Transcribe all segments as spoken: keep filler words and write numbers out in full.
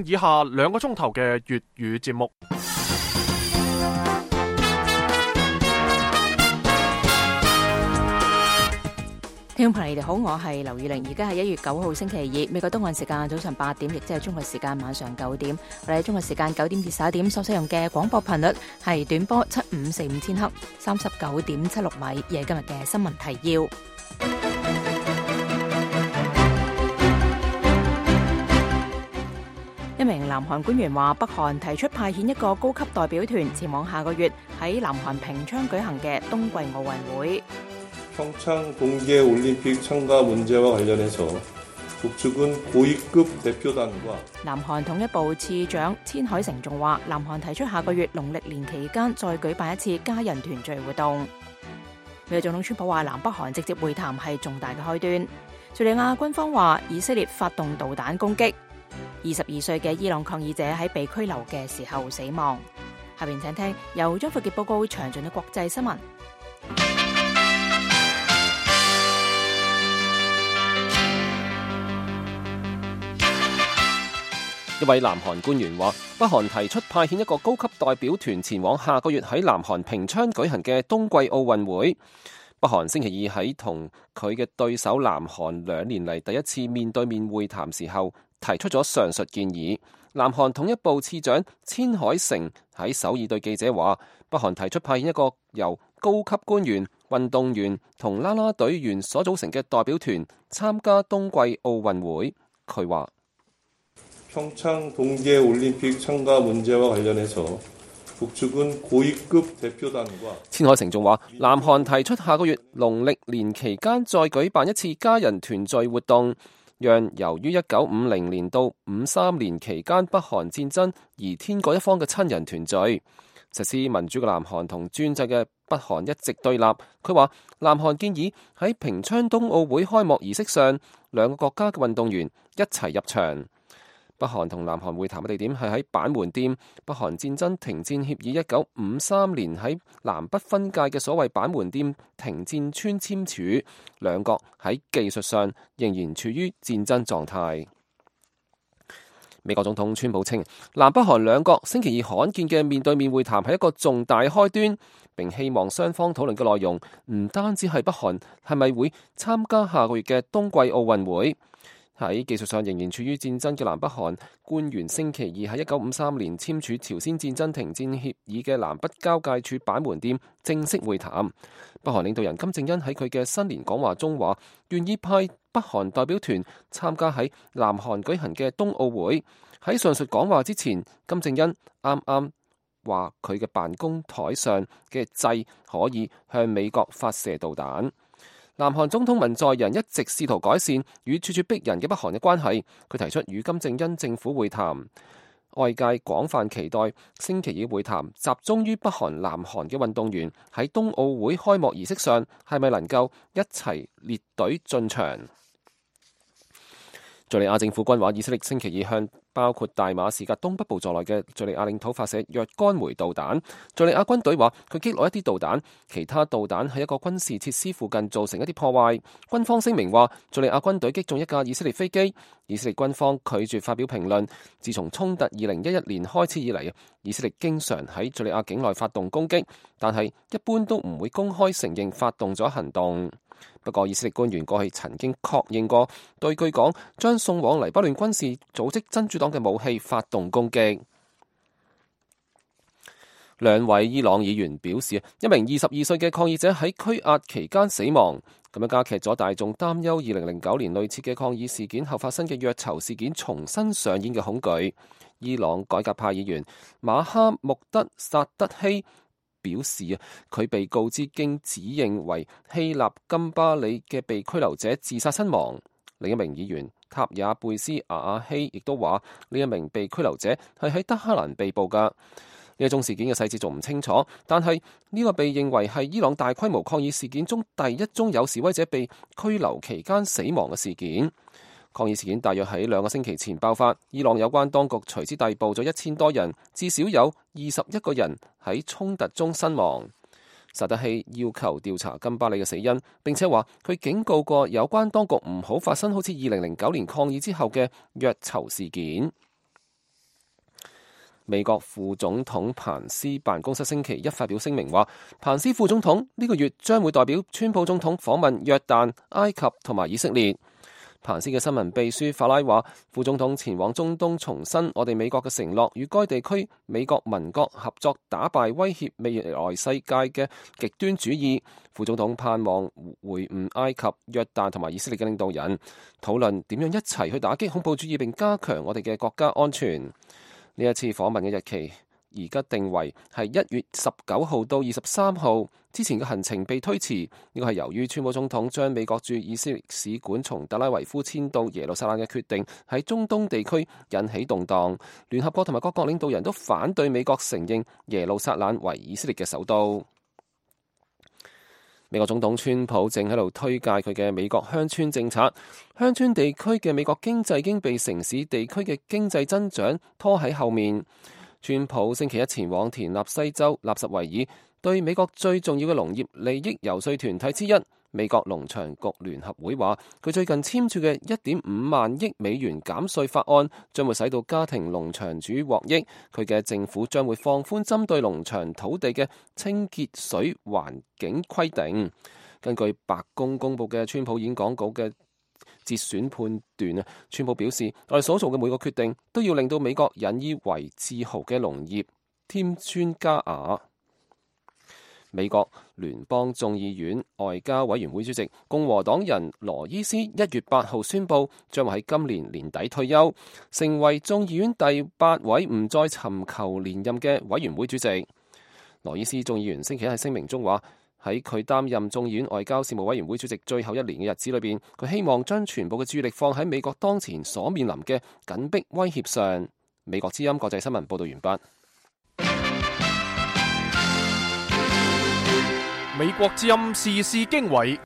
以下兩個鐘頭嘅粵語節目。聽眾朋友，你哋好，我係劉宇玲，而家係一月九號星期二，美國東岸時間早上八點，亦即係中國時間晚上九點。我哋喺中國時間九點至十一點所使用嘅廣播頻率係短波七五四五千赫，三十九點七六米。而係今日嘅新聞提要。一名南韓官員話，北韓提出派遣一個高級代表團前往下個月喺南韓平昌舉行嘅冬季奧運會。 평창동계올림픽 참가 문제와 관련해서 북측은 고위급 대표단과 南韓統一部次長千海成仲話，南韓提出下個月農曆年期間再舉辦一次家人團聚活動。美國總統川普話，南北韓直接會談係重大嘅開端。敘利亞軍方話，以色列發動導彈攻擊。二十二歲嘅伊朗抗議者喺被拘留嘅時候死亡。下邊請聽由張富傑報告詳盡嘅國際新聞。一位南韓官員話，北韓提出派遣一個高級代表團前往下個月喺南韓平昌舉行嘅冬季奧運會。北韓星期二喺同佢嘅對手南韓兩年嚟第一次面對面會談時候，提出咗上述建議。南韓統一部次長千海成喺首爾對記者話，北韓提出派遣一個由高級官員、運動員同啦啦隊員所組成嘅代表團參加冬季奧運會。佢話， 평창동계올림픽 참가 문제와 관련해서 북측은 고위급 대표단과 千海成仲話，南韓提出下個月農曆年期間再舉辦一次家人團聚活動，讓由於一九五零年到五三年期間北韓戰爭而天各一方嘅親人團聚。實施民主嘅南韓同專制嘅北韓一直對立。佢話，南韓建議喺平昌冬奧會開幕儀式上，兩個國家嘅運動員一齊入場。北韓同南韓會談嘅地點係喺板門店。北韓戰爭停戰協議一九五三年喺南北分界嘅所謂板門店停戰村簽署，兩國喺技術上仍然處於戰爭狀態。美國總統川普稱，南北韓兩國星期二罕見嘅面對面會談係一個重大開端，並希望雙方討論嘅內容唔單止係北韓係咪會參加下個月嘅冬季奧運會。喺技術上仍然處於戰爭嘅南北韓官員星期二喺一九五三年簽署朝鮮戰爭停戰協議嘅南北交界處板門店正式會談。北韓領導人金正恩喺佢嘅新年講話中話，願意派北韓代表團參加喺南韓舉行嘅冬奧會。喺上述講話之前，金正恩啱啱話佢嘅辦公台上嘅掣可以向美國發射導彈。南韓總統文在寅一直試圖改善與處處逼人嘅北韓嘅關係，佢提出與金正恩政府會談。外界廣泛期待星期二會談集中於北韓南韓嘅運動員喺冬奧會開幕儀式上係咪能夠一齊列隊進場。敘利亞政府軍話，以色列星期二向包括大馬士革東北部在內嘅敘利亞領土發射若干枚導彈。敘利亞軍隊話佢擊落一啲導彈，其他導彈喺一個軍事設施附近造成一啲破壞。軍方聲明話，敘利亞軍隊擊中一架以色列飛機。以色列軍方拒絕發表評論。自從衝突二零一一年開始以嚟，以色列經常喺敘利亞境內發動攻擊，但係一般都唔會公開承認發動咗行動。不過，以色列官員過去曾經確認過，對據講將送往黎巴嫩軍事組織真主黨嘅武器發動攻擊。兩位伊朗議員表示，一名二十二歲嘅抗議者喺拘押期間死亡，咁樣加劇咗大眾擔憂二零零九年類似嘅抗議事件後發生嘅虐囚事件重新上演嘅恐懼。伊朗改革派議員馬哈穆德薩德希表示啊，佢被告知經指認為希臘金巴里嘅被拘留者自殺身亡。另一名議員塔也貝斯亞亞希亦都話，呢一名被拘留者係喺德黑蘭被捕噶。呢一宗事件嘅細節仲唔清楚，但係呢個被認為係伊朗大規模抗議事件中第一宗有示威者被拘留期間死亡嘅事件。抗議事件大約喺兩個星期前爆發，伊朗有關當局隨之逮捕咗一千多人，至少有二十一個人喺衝突中身亡。薩德希要求調查金巴里嘅死因，並且話佢警告過有關當局唔好發生好似二零零九年抗議之後嘅虐囚事件。美國副總統彭斯辦公室星期一發表聲明話，彭斯副總統呢個月將會代表川普總統訪問約旦、埃及同埋以色列。彭斯嘅新聞秘書法拉話，副總統前往中東重申我哋美國嘅承諾，與該地區美國民國合作打敗威脅未來世界嘅極端主義。副總統盼望會晤埃及、約旦同埋以色列嘅領導人，討論點樣一齊去打擊恐怖主義並加強我哋嘅國家安全。呢一次訪問嘅日期而家定為係一月十九號到二十三號，之前嘅行程被推遲，呢個係由於川普總統將美國駐以色列使館從特拉維夫遷到耶路撒冷嘅決定喺中東地區引起動盪。聯合國同埋各國領導人都反對美國承認耶路撒冷為以色列嘅首都。美國總統川普正喺度推介佢嘅美國鄉村政策，鄉村地區嘅美國經濟已經被城市地區嘅經濟增長拖喺後面。川普星期一前往田納西州納什維爾，對美國最重要嘅農業利益遊說團體之一美國農場局聯合會話，佢最近簽署嘅一點五萬億美元減稅法案將會使到家庭農場主獲益。佢嘅政府將會放寬針對農場土地嘅清潔水環境規定。根據白宮公佈嘅川普演講稿嘅節選判斷啊，川普表示，我哋所做嘅每個決定都要令到美國引以為自豪嘅農業添磚加瓦。美國聯邦眾議院外交委員會主席共和黨人羅伊斯一月八號宣布，將會喺今年年底退休，成為眾議院第八位唔再尋求連任嘅委員會主席。羅伊斯眾議員星期一喺聲明中話，喺佢擔任眾議院外交事務委員會主席最後一年嘅日子裏邊，佢希望將全部嘅注意力放喺美國當前所面臨嘅緊迫威脅上。美國之音國際新聞報道完畢。美國之音時事經緯。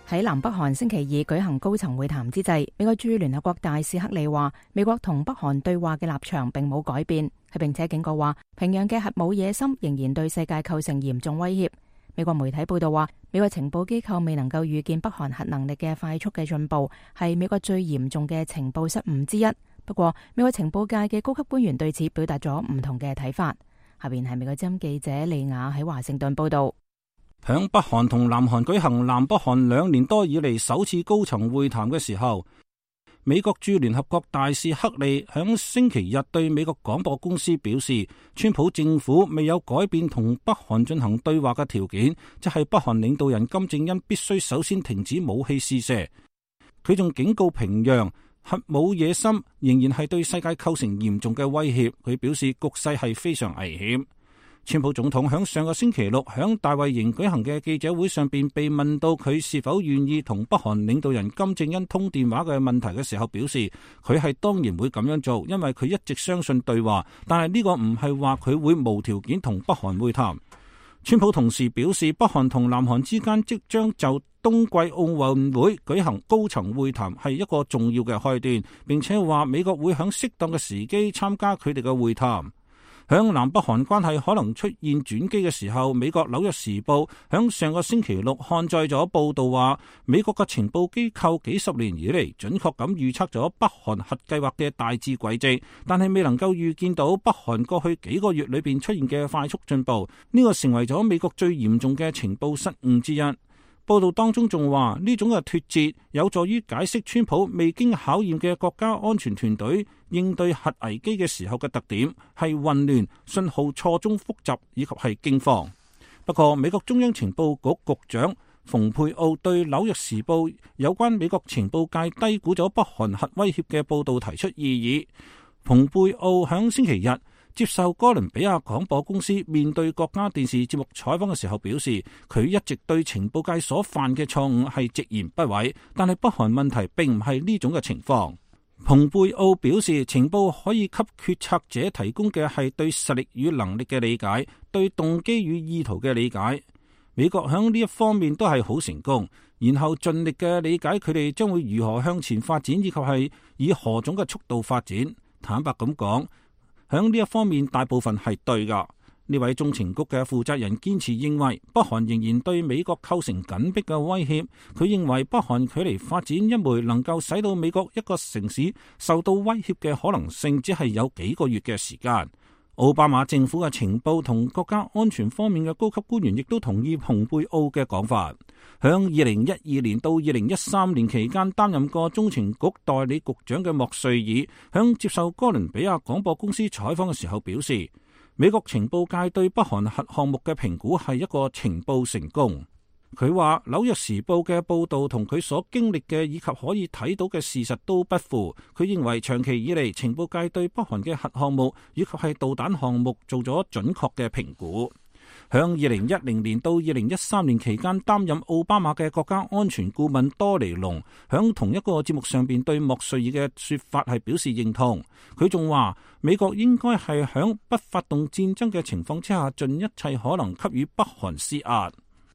喺南北韓星期二舉行高層會談之際，美國駐聯合國大使克里話，美國同北韓對話嘅立場並冇改變，佢並且警告話，平壤嘅核武野心仍然對世界構成嚴重威脅。美國媒體報道話，美國情報機構未能夠預見北韓核能力嘅快速嘅進步，係美國最嚴重嘅情報失誤之一。不過，美國情報界嘅高級官員對此表達咗唔同嘅睇法。下邊係美國之音記者利亞喺華盛頓報道。響北韓同南韓舉行南北韓兩年多以嚟首次高層會談嘅時候，美國駐聯合國大使克利響星期日對美國廣播公司表示，川普政府未有改變同北韓進行對話嘅條件，即係北韓領導人金正恩必須首先停止武器試射。佢仲警告平壤，核武野心仍然係對世界構成嚴重嘅威脅。佢表示局勢係非常危險。川普總統響上個星期六響大衛營舉行嘅記者會上邊被問到佢是否願意同北韓領導人金正恩通電話嘅問題嘅時候，表示佢係當然會咁樣做，因為佢一直相信對話，但係呢個唔係話佢會無條件同北韓會談。川普同時表示，北韓同南韓之間即將就冬季奧運會舉行高層會談係一個重要嘅開端，並且話美國會響適當嘅時機參加佢哋嘅會談。響南北韓關係可能出現轉機嘅時候，美國紐約時報響上個星期六刊載咗報道話，美國嘅情報機構幾十年以嚟準確咁預測咗北韓核計劃嘅大致軌跡，但係未能夠預見到北韓過去幾個月裏邊出現嘅快速進步，呢個成為咗美國最嚴重嘅情報失誤之一。報道當中仲話，呢種嘅脫節有助於解釋川普未經考驗嘅國家安全團隊應對核危機嘅時候嘅特點係混亂、信號錯綜複雜以及係驚慌。不過，美國中央情報局局長蓬佩奧對紐約時報有關美國情報界低估咗北韓核威脅嘅報道提出異議。蓬佩奧響星期日接受哥倫比亞廣播公司面對國家電視節目採訪嘅時候表示，佢一直對情報界所犯嘅錯誤係直言不諱，但係北韓問題並唔係呢種嘅情況。蓬佩奧表示，情報可以給決策者提供嘅係對實力與能力嘅理解，對動機與意圖嘅理解。美國響呢一方面都係好成功，然後盡力嘅理解佢哋將會如何向前發展，以及係以何種嘅速度發展。坦白咁講，響呢一方面大部分係對噶，呢位中情局嘅負責人堅持認為，北韓仍然對美國構成緊迫嘅威脅。佢認為北韓距離發展一枚能夠使到美國一個城市受到威脅嘅可能性，只係有幾個月嘅時間。奧巴馬政府嘅情報同國家安全方面嘅高級官員亦都同意蓬佩奧嘅講法。響二零一二年到二零一三年期間擔任過中情局代理局長嘅莫瑞爾，響接受哥倫比亞廣播公司採訪嘅時候表示，美國情報界對北韓核項目嘅評估係一個情報成功。佢話紐約時報嘅報道同佢所經歷嘅以及可以睇到嘅事實都不符。佢認為長期以嚟情報界對北韓嘅核項目以及係導彈項目做咗準確嘅評估。響二零一零年到二零一三年期間擔任奧巴馬嘅國家安全顧問多尼龍響同一個節目上邊對莫瑞爾嘅說法係表示認同。佢仲話美國應該係響不發動戰爭嘅情況之下盡一切可能給予北韓施壓。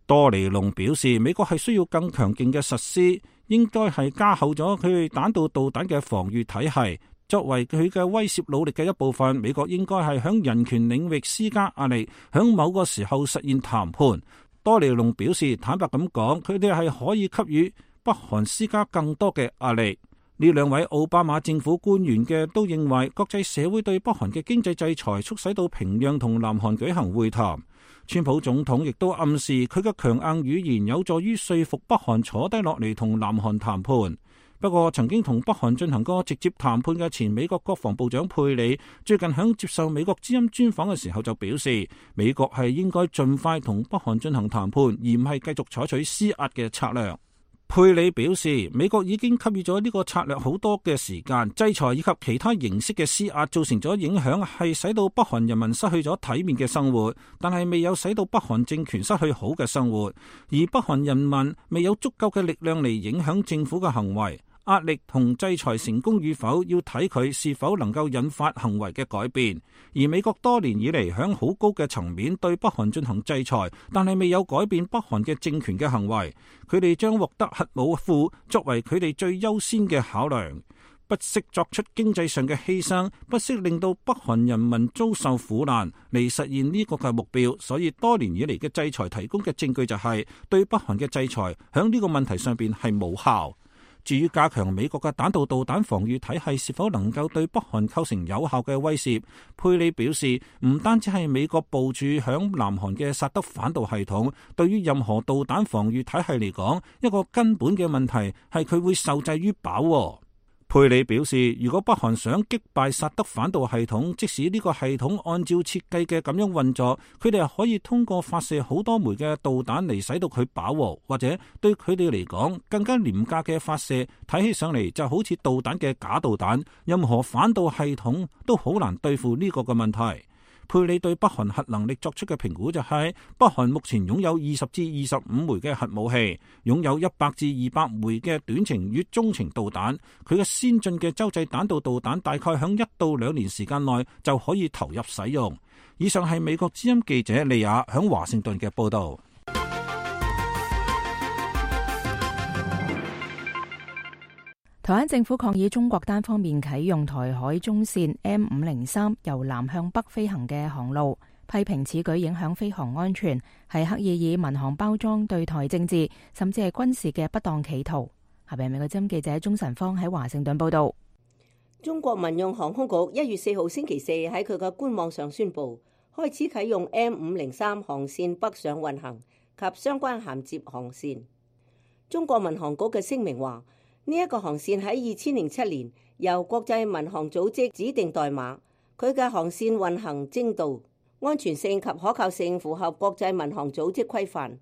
多尼龍表示美國係需要更強勁嘅實施，應該係加厚咗佢彈道導彈嘅防禦體系。作為佢嘅威懾努力嘅一部分，美國應該係響人權領域施加壓力，響某個時候實現談判。多尼龍表示，坦白咁講，佢哋係可以給予北韓施加更多嘅壓力。呢兩位奧巴馬政府官員嘅都認為，國際社會對北韓嘅經濟制裁促使到平壤同南韓舉行會談。川普總統亦都暗示佢嘅強硬語言有助於說服北韓坐低落嚟同南韓談判。不過，曾經同北韓進行過直接談判嘅前美國國防部長佩里，最近響接受美國之音專訪嘅時候就表示，美國係應該盡快同北韓進行談判，而唔係繼續採取施壓嘅策略。佩里表示，美國已經給予咗呢個策略好多嘅時間，制裁以及其他形式嘅施壓造成咗影響，係使到北韓人民失去咗體面嘅生活，但係未有使到北韓政權失去好嘅生活，而北韓人民未有足夠嘅力量嚟影響政府嘅行為。壓力同制裁成功與否，要睇佢是否能夠引發行為嘅改變。而美國多年以嚟響好高嘅層面對北韓進行制裁，但係未有改變北韓嘅政權嘅行為。佢哋將獲得核武庫作為佢哋最優先嘅考量，不惜作出經濟上嘅犧牲，不惜令到北韓人民遭受苦難嚟實現呢個嘅目標。所以多年以嚟嘅制裁提供嘅證據就係、是、對北韓嘅制裁響呢個問題上邊係無效。至於加強美國嘅彈道導彈防禦體系是否能夠對北韓構成有效嘅威懾，佩里表示，唔單止係美國部署響南韓嘅薩德反導系統，對於任何導彈防禦體系嚟講，一個根本嘅問題係佢會受制於飽和。佩里表示，如果北韓想擊敗薩德反導系統，即使呢個系統按照設計嘅咁樣運作，佢哋係可以通過發射好多枚嘅導彈嚟使到佢飽和，或者對佢哋嚟講更加廉價嘅發射，睇起上嚟就好似導彈嘅假導彈，任何反導系統都好難對付呢個嘅問題。佩里對北韓核能力作出嘅評估就係、是，北韓目前擁有二十至二十五枚嘅核武器，擁有一百至二百枚嘅短程與中程導彈。佢嘅先進嘅洲際彈道導彈大概響一到兩年時間內就可以投入使用。以上係美國之音記者利亞響華盛頓嘅報道。台灣政府抗議中國單方面啟用台海中線 M 五零三由南向北飛行嘅航路，批評此舉影響飛航安全，係刻意以民航包裝對台政治甚至係軍事嘅不當企圖。下邊美國之音記者鍾晨芳喺華盛頓報道。中國民用航空局一月四號星期四喺佢嘅官網上宣布，開始啟用 M 五零三航線北上運行及相關銜接航線。中國民航局嘅聲明話，呢一個航線喺二千零七年由國際民航組織指定代碼，佢嘅航線運行精度、安全性及可靠性符合國際民航組織規範。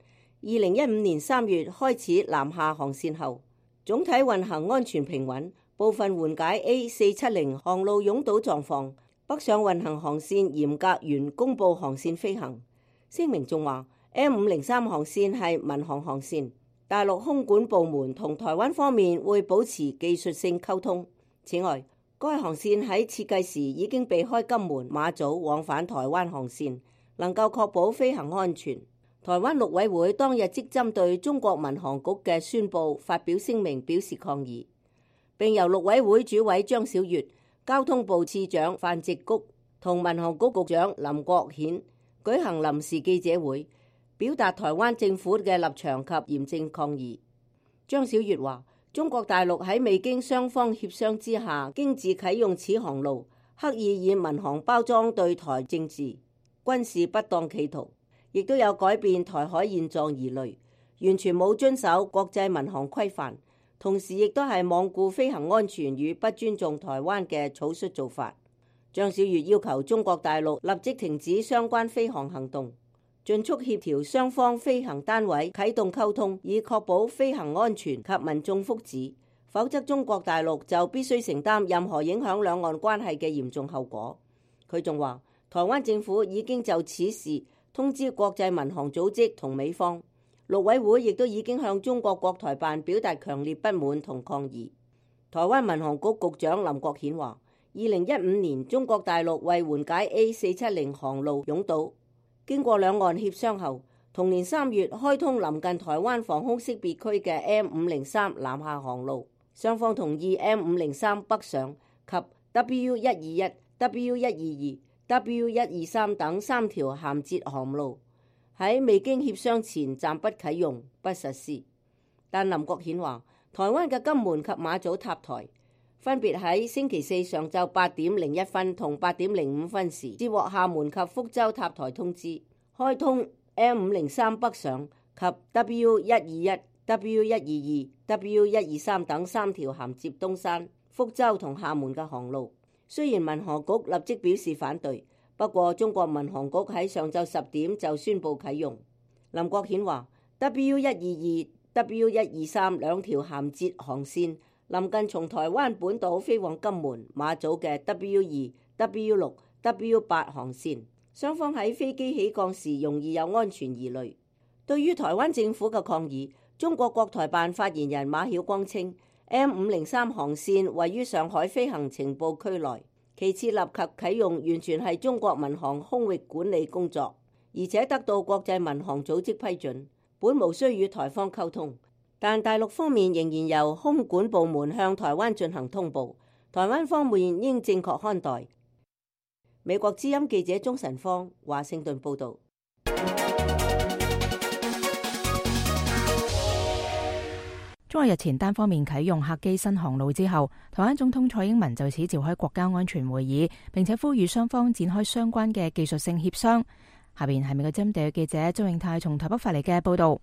二零一五年三月開始南下航線後，總體運行安全平穩，部分緩解 A 四七零航路擁堵狀況。北上運行航線嚴格原公佈航線飛行。聲明仲話 M 五零三航線係民航航線。大陸空管部門同台灣方面會保持技術性溝通。此外，該航線喺設計時已經避開金門、馬祖往返台灣航線，能夠確保飛行安全。台灣陸委會當日即針對中國民航局嘅宣佈發表聲明表示抗議，並由陸委會主委張曉月、交通部次長范植菊同民航局局長林國顯舉行臨時記者會，表達台灣政府嘅立場及嚴正抗議。張小月話：中國大陸喺未經雙方協商之下，經自啟用此航路，刻意以民航包裝對台政治、軍事不當企圖，亦都有改變台海現狀疑慮，完全冇遵守國際民航規範，同時亦都係罔顧飛行安全與不尊重台灣嘅草率做法。張小月要求中國大陸立即停止相關飛航行動，盡速協調雙方飛行單位啟動溝通，以確保飛行安全及民眾福祉，否則中國大陸就必須承擔任何影響兩岸關係嘅嚴重後果。佢仲話，台灣政府已經就此事通知國際民航組織同美方，陸委會亦都已經向中國國台辦表達強烈不滿同抗議。台灣民航局局長林國顯話，二零一五年中國大陸為緩解 A 四七零航路擁堵，經過兩岸協商後，同年三月開通臨近台灣防空識別區嘅 M 五零三南下航路，雙方同意 M 五零三北上及 W 一二一、W 一二二、W 一二三等三條銜接航路喺未經協商前暫不啟用、不實施。但林國顯話，台灣嘅金門及馬祖塔台分別喺星期四上晝八點零一分同八點零五分時接獲廈門及福州塔台通知，開通 M 五零三北上及 W 一二一、W 一二二、W 一二三等三條銜接東山、福州同廈門嘅航路。雖然民航局立即表示反對，不過中國民航局喺上晝十點就宣布啟用。林國顯話 W 一二二、W 一二三兩條銜接航線臨近從台灣本島飛往金門、馬祖嘅 W 二、W 六、W 八航線，雙方喺飛機起降時容易有安全疑慮。對於台灣政府嘅抗議，中國國台辦發言人馬曉光稱 M 五零三航線位於上海飛行情報區內，其設立及啟用完全係中國民航空域管理工作，而且得到國際民航組織批准，本無需與台方溝通。但大陸方面仍然由空管部門向台灣進行通報，台灣方面應正確看待。美國之音記者鍾晨芳華盛頓報導。中國日前單方面啟用客機新航路之後，台灣總統蔡英文就此召開國家安全會議，並且呼籲雙方展開相關嘅技術性協商。下邊係美國之音地記者周永泰從台北發嚟嘅報導。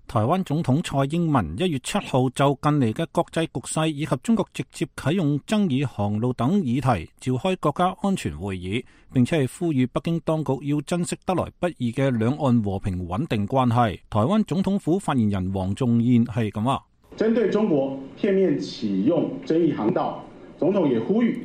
台灣總統蔡英文一月七號就近嚟嘅國際局勢以及中國直接啟用爭議航路等議題召開國家安全會議，並且係呼籲北京當局要珍惜得來不易嘅兩岸和平穩定關係。台灣總統府發言人黃仲彥係咁話：針對中國片面啟用爭議航道，總統也呼籲。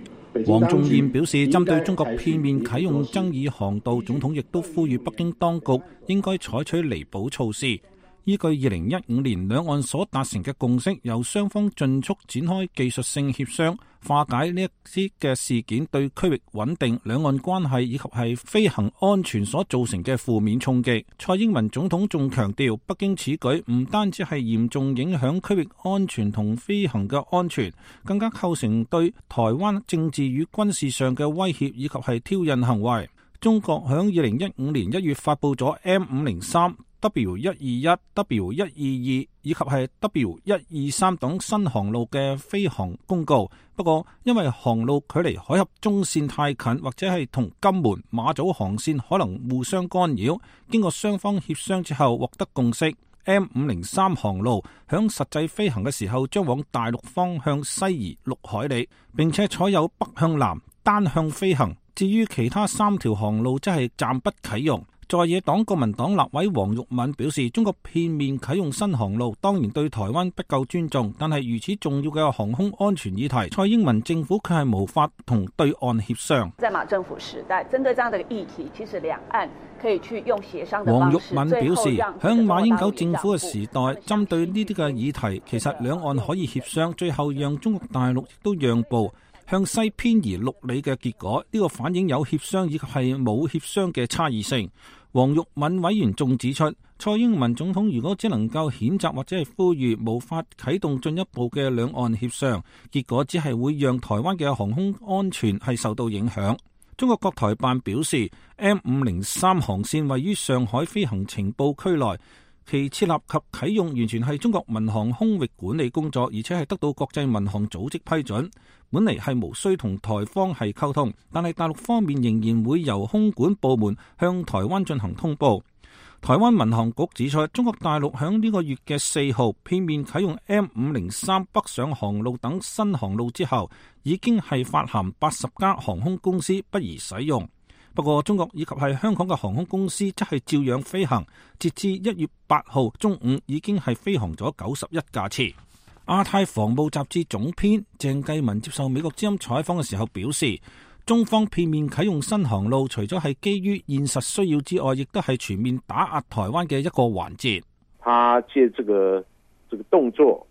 黃仲彥表示，針對中國片面啟用爭議航道，總統亦都呼籲北京當局應該採取彌補措施。依據二零一五年兩岸所達成嘅共識，由雙方盡速展開技術性協商，化解呢一啲嘅事件對區域穩定、兩岸關係以及係飛行安全所造成嘅負面衝擊。蔡英文總統仲強調，北京此舉唔單止係嚴重影響區域安全同飛行嘅安全，更加構成對台灣政治與軍事上嘅威脅以及係挑釁行為。中國響二零一五年一月發布咗 M 五零三、W 一二一、W 一二二以及係 W 一二三等新航路嘅飛航公告，不過因為航路距離海峽中線太近，或者係同金門、馬祖航線可能互相干擾，經過雙方協商之後獲得共識， M 五零三航路響實際飛行嘅時候將往大陸方向西移六海里，並且採有北向南單向飛行。至於其他三條航路則係暫不啟用。在野黨國民黨立委黃玉敏表示，中國片面啟用新航路當然對台灣不夠尊重，但係如此重要嘅航空安全議題，蔡英文政府卻係無法同對岸協商。在馬政府時代，針對這樣的議題，其實兩岸可以去用協商的方式。黃玉敏表示，響馬英九政府嘅時代，針對呢啲嘅議題，其實兩岸可以協商，最後讓中國大陸亦都讓步，向西偏移六里嘅結果，呢個反映有協商以及係冇協商嘅差異性。黃玉敏委員仲指出，蔡英文總統如果只能夠譴責或者係呼籲，無法啟動進一步嘅兩岸協商，結果只係會讓台灣嘅航空安全係受到影響。中國國台辦表示 ，M 五零三航線位於上海飛行情報區內，其設立及啟用完全係中國民航空域管理工作，而且係得到國際民航組織批准。本嚟係無需同台方係溝通，但係大陸方面仍然會由空管部門向台灣進行通報。台灣民航局指出，中國大陸響呢個月嘅四號片面啟用 M 五零三北上航路等新航路之後，已經係發函八十家航空公司不宜使用。不過，中國以及係香港嘅航空公司則係照樣飛行，截至一月八號中午已經係飛行咗九十一架次。亞太防務雜誌總編鄭繼文接受美國之音採訪嘅時候表示，中方片面啟用新航路，除咗係基於現實需要之外，亦都係全面打壓台灣嘅一個環節。他借這個這個動作，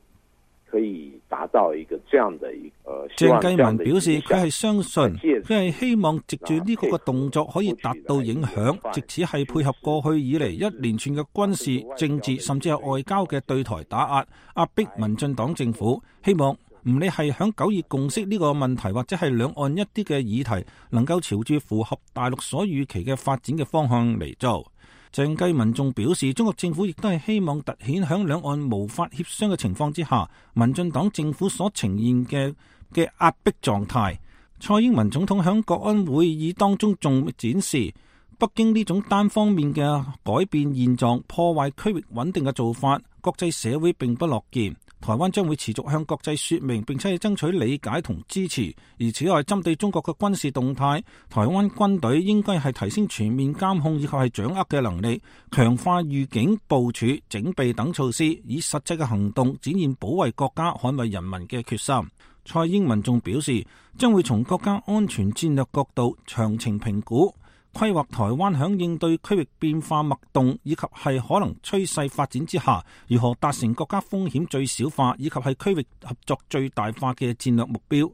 可以達到一個這樣的一個。鄭繼文表示，佢係相信，佢係希望藉住呢個嘅動作可以達到影響，藉此係配合過去以嚟一連串嘅軍事、政治甚至係外交嘅對台打壓，壓迫民進黨政府。希望唔理係響九二共識呢個問題，或者係兩岸一啲嘅議題，能夠朝住符合大陸所預期嘅發展嘅方向嚟做。鄭繼文仲表示，中國政府亦都係希望凸顯響兩岸無法協商嘅情況之下，民進黨政府所呈現嘅嘅壓迫狀態。蔡英文總統響國安會議當中仲展示，北京呢種單方面嘅改變現狀、破壞區域穩定嘅做法，國際社會並不樂見。台灣將會持續向國際說明，並且係爭取理解同支持。而此外，針對中國嘅軍事動態，台灣軍隊應該係提升全面監控以及係掌握嘅能力，強化預警、部署、整備等措施，以實際嘅行動展現保衛國家、捍衛人民嘅決心。蔡英文仲表示，將會從國家安全戰略角度詳情評估，規劃台灣響應對區域變化脈動以及係可能趨勢發展之下，如何達成國家風險最小化以及係區域合作最大化嘅戰略目標，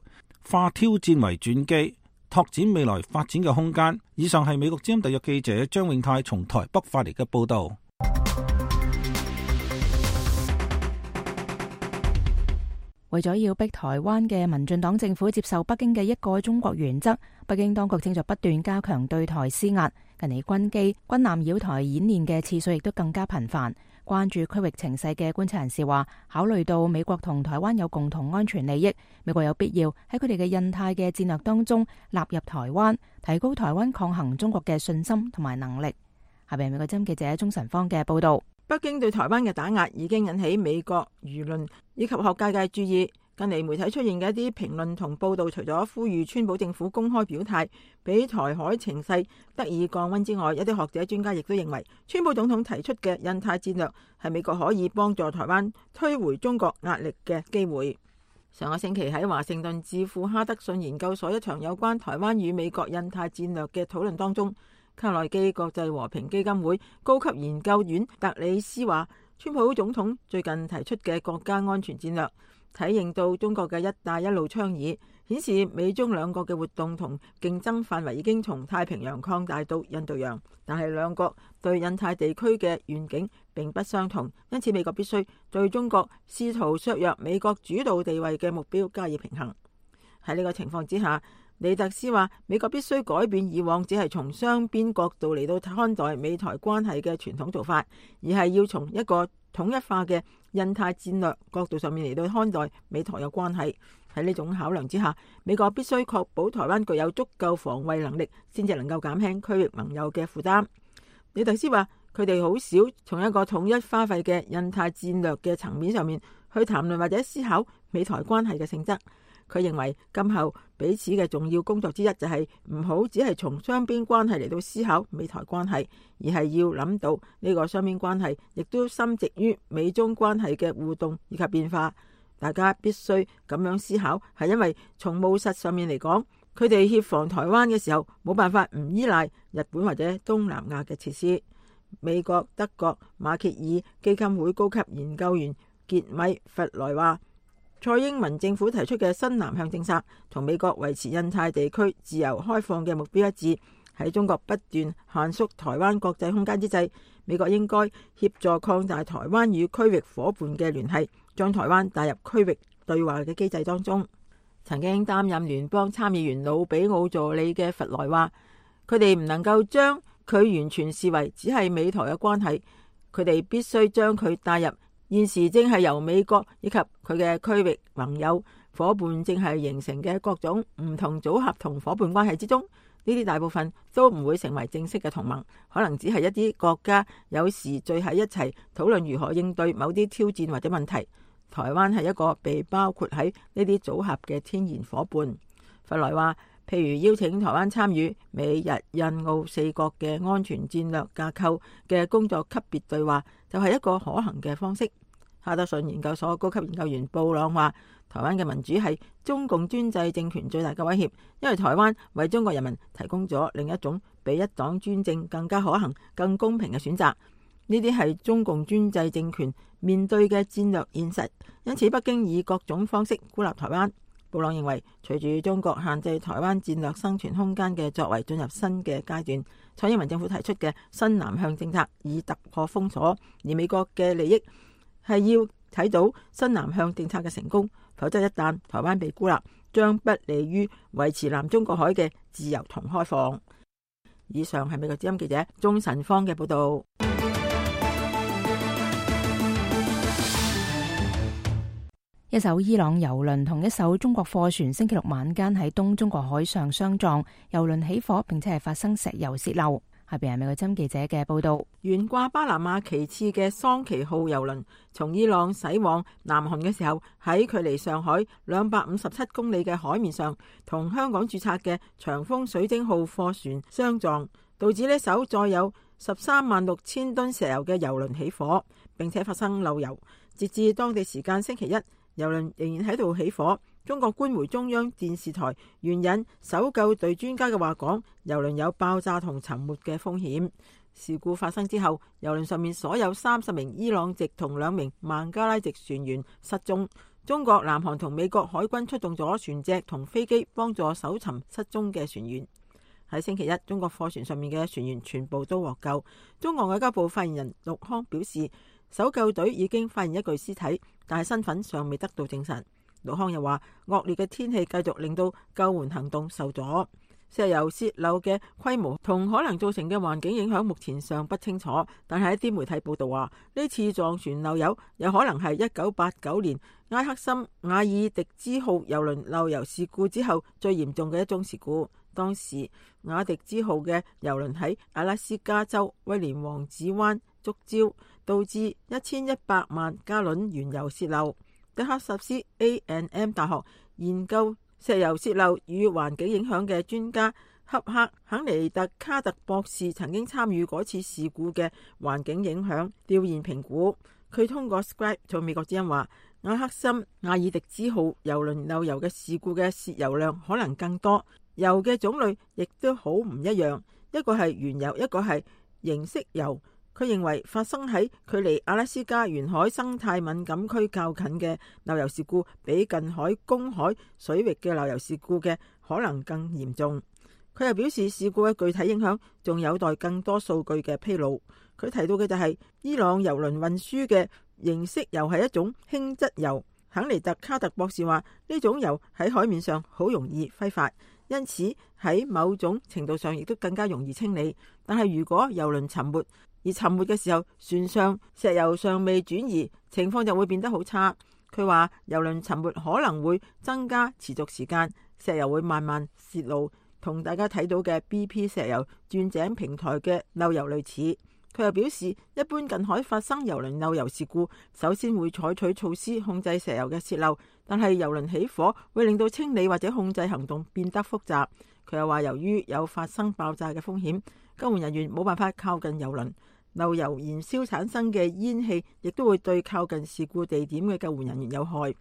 化挑戰為轉機，拓展未來發展嘅空間。以上係美國之音特約記者張永泰從台北發嚟嘅報道。為咗要逼台灣嘅民進黨政府接受北京嘅一個中國原則，北京當局正在不斷加強對台施壓。近嚟軍機、軍艦繞台演練嘅次數亦都更加頻繁。關注區域情勢嘅觀察人士話，考慮到美國同台灣有共同安全利益，美國有必要喺佢哋嘅印太嘅戰略當中納入台灣，提高台灣抗衡中國嘅信心同埋能力。下邊美國之音記者鍾晨芳嘅報道。北京對台灣嘅打壓已經引起美國輿論以及學界嘅注意。近嚟媒體出現嘅一啲評論同報道，除咗呼籲川普政府公開表態，俾台海情勢得以降溫之外，一啲學者專家亦都認為，川普總統提出嘅印太戰略係美國可以幫助台灣推回中國壓力嘅機會。上個星期喺華盛頓智庫哈德遜研究所一場有關台灣與美國印太戰略嘅討論當中，卡內基國際和平基金會高級研究員特里斯話，川普總統最近提出嘅國家安全戰略體現到中國嘅一帶一路倡議，顯示美中兩國嘅活動同競爭範圍已經從太平洋擴大到印度洋，但係兩國對印太地區嘅願景並不相同，因此美國必須對中國試圖削弱美國主導地位嘅目標加以平衡。喺呢個情況之下，李特斯話，美國必須改變以往只係從雙邊角度嚟到看待美台關係嘅傳統做法，而係要從一個統一化嘅印太戰略角度上面嚟到看待美台嘅關係。喺呢種考量之下，美國必須確保台灣具有足夠防衛能力，先至能夠減輕區域盟友嘅負擔。李特斯話，佢哋好少從一個統一花費嘅印太戰略嘅層面上面去談論或者思考美台關係嘅性質。佢認為今後彼此嘅重要工作之一就係唔好只係從雙邊關係嚟到思考美台關係，而係要諗到呢個雙邊關係亦都深植於美中關係嘅互動以及變化。大家必須咁樣思考，係因為從務實上面嚟講，佢哋協防台灣嘅時候冇辦法唔依賴日本或者東南亞嘅設施。美國、德國、馬歇爾基金會高級研究員傑米弗萊話，蔡英文政府提出嘅新南向政策同美國維持印太地區自由開放嘅目標一致。喺中國不斷限縮台灣國際空間之際，美國應該協助擴大台灣與區域夥伴嘅聯繫，將台灣帶入區域對話嘅機制當中。曾經擔任聯邦參議員魯比奧助理嘅弗萊話，佢哋唔能夠將佢完全視為只係美台嘅關係，佢哋必須將佢帶入現時正係由美國以及佢嘅區域盟友伙伴正係形成嘅各種唔同組合同伙伴關係之中。呢啲大部分都唔會成為正式嘅同盟，可能只係一啲國家有時聚喺一齊討論如何應對某啲挑戰或者問題。台灣係一個被包括喺呢啲組合嘅天然伙伴。弗萊話，譬如邀請台灣參與美日印澳四國嘅安全戰略架構嘅工作級別對話，就係一個可行嘅方式。哈德遜研究所高級研究員布朗話，台灣嘅民主係中共專制政權最大嘅威脅，因為台灣為中國人民提供咗另一種比一黨專政更加可行、更公平嘅選擇。呢啲係中共專制政權面對嘅戰略現實，因此北京以各種方式孤立台灣。布朗認為，隨住中國限制台灣戰略生存空間嘅作為進入新嘅階段，蔡英文政府提出嘅新南向政策以突破封鎖，而美國嘅利益係要睇到新南向政策嘅成功，否則一旦台灣被孤立，將不利於維持南中國海嘅自由同開放。以上係美國之音記者鍾晨芳嘅報道。一艘伊朗郵輪同一艘中國貨船星期六晚間喺東中國海上相撞，郵輪起火，並且係發生石油洩漏。下邊係美國之音記者嘅報道。懸掛巴拿馬旗幟嘅桑奇號郵輪從伊朗駛往南韓嘅時候，喺距離上海兩百五十七公里嘅海面上，同香港註冊嘅長豐水晶號貨船相撞，導致呢艘載有十三萬六千噸石油嘅郵輪起火，並且發生漏油。截至當地時間星期一，郵輪仍然喺度起火。中國官媒中央電視台援引搜救隊專家嘅話講，郵輪有爆炸同沉沒嘅風險。事故發生之後，郵輪上面所有三十名伊朗籍同兩名孟加拉籍船員失蹤。中國、南韓同美國海軍出動咗船隻同飛機幫助搜尋失蹤嘅船員。喺星期一，中國貨船上面嘅船員全部都獲救。中國外交部發言人陸康表示，搜救隊已經發現一具屍體，但係身份尚未得到證實。陸康又話，惡劣嘅天氣繼續令到救援行動受阻，石油洩漏嘅規模同可能造成嘅環境影響目前尚不清楚。但係一啲媒體報道話，呢次撞船漏油有可能係一九八九年埃克森瓦爾迪茲號郵輪漏油事故之後最嚴重嘅一宗事故。當時瓦迪茲號嘅郵輪喺阿拉斯加州威廉王子灣觸礁，導致一千一百萬加侖原油洩漏。德克薩斯 A and M 大學研究石油洩漏與環境影響嘅專家恰克肯尼特卡特博士曾經參與嗰次事故嘅環境影響調研評估。佢通過 Skype 同美國之音話，埃克森瓦爾迪茲號郵輪漏油嘅事故嘅洩油量可能更多，油嘅種類亦都好唔一樣，一個係原油，一個係凝色油。佢認為發生喺距離阿拉斯加沿海生態敏感區較近嘅漏油事故，比近海公海水域嘅漏油事故嘅可能更嚴重。佢又表示，事故嘅具體影響仲有待更多數據嘅披露。佢提到嘅就係伊朗郵輪運輸嘅凝色油係一種輕質油。肯尼特卡特博士話，呢種油喺海面上好容易揮發，因此喺某種程度上亦都更加容易清理。但係如果郵輪沉沒，而沉沒嘅時候，船上石油尚未轉移，情況就會變得好差。佢話，郵輪沉沒可能會增加持續時間，石油會慢慢泄露，同大家睇到嘅 B P 石油鑽井平台嘅漏油類似。佢又表示，一般近海發生郵輪漏油事故，首先會採取措施控制石油嘅泄漏，但係郵輪起火會令到清理或者控制行動變得複雜。佢又話，由於有發生爆炸嘅風險，救援人員冇辦法靠近郵輪。漏油燃燒產生嘅煙氣亦都會對靠近事故地點嘅救援人員有害。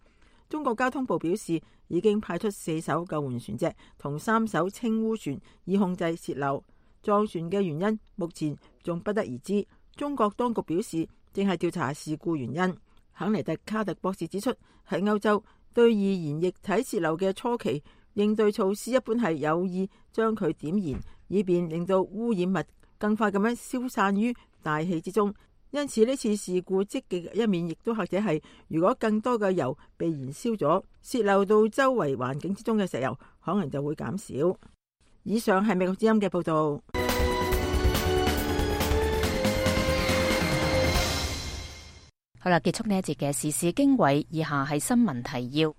中國交通部表示，已經派出四艘救援船隻同三艘清污船以控制洩漏。撞船嘅原因目前仲不得而知。中國當局表示，正係調查事故原因。肯尼特卡特博士指出，喺歐洲對易燃液體洩漏嘅初期應對措施一般係有意將佢點燃，以便令到污染物更快咁樣消散於大氣之中，因此呢次事故積極嘅一面，亦都或者係如果更多嘅油被燃燒咗，洩漏到周圍環境之中嘅石油，可能就會減少。以上係美國之音嘅報道。好啦，結束呢一節嘅時事經緯，以下係新聞提要。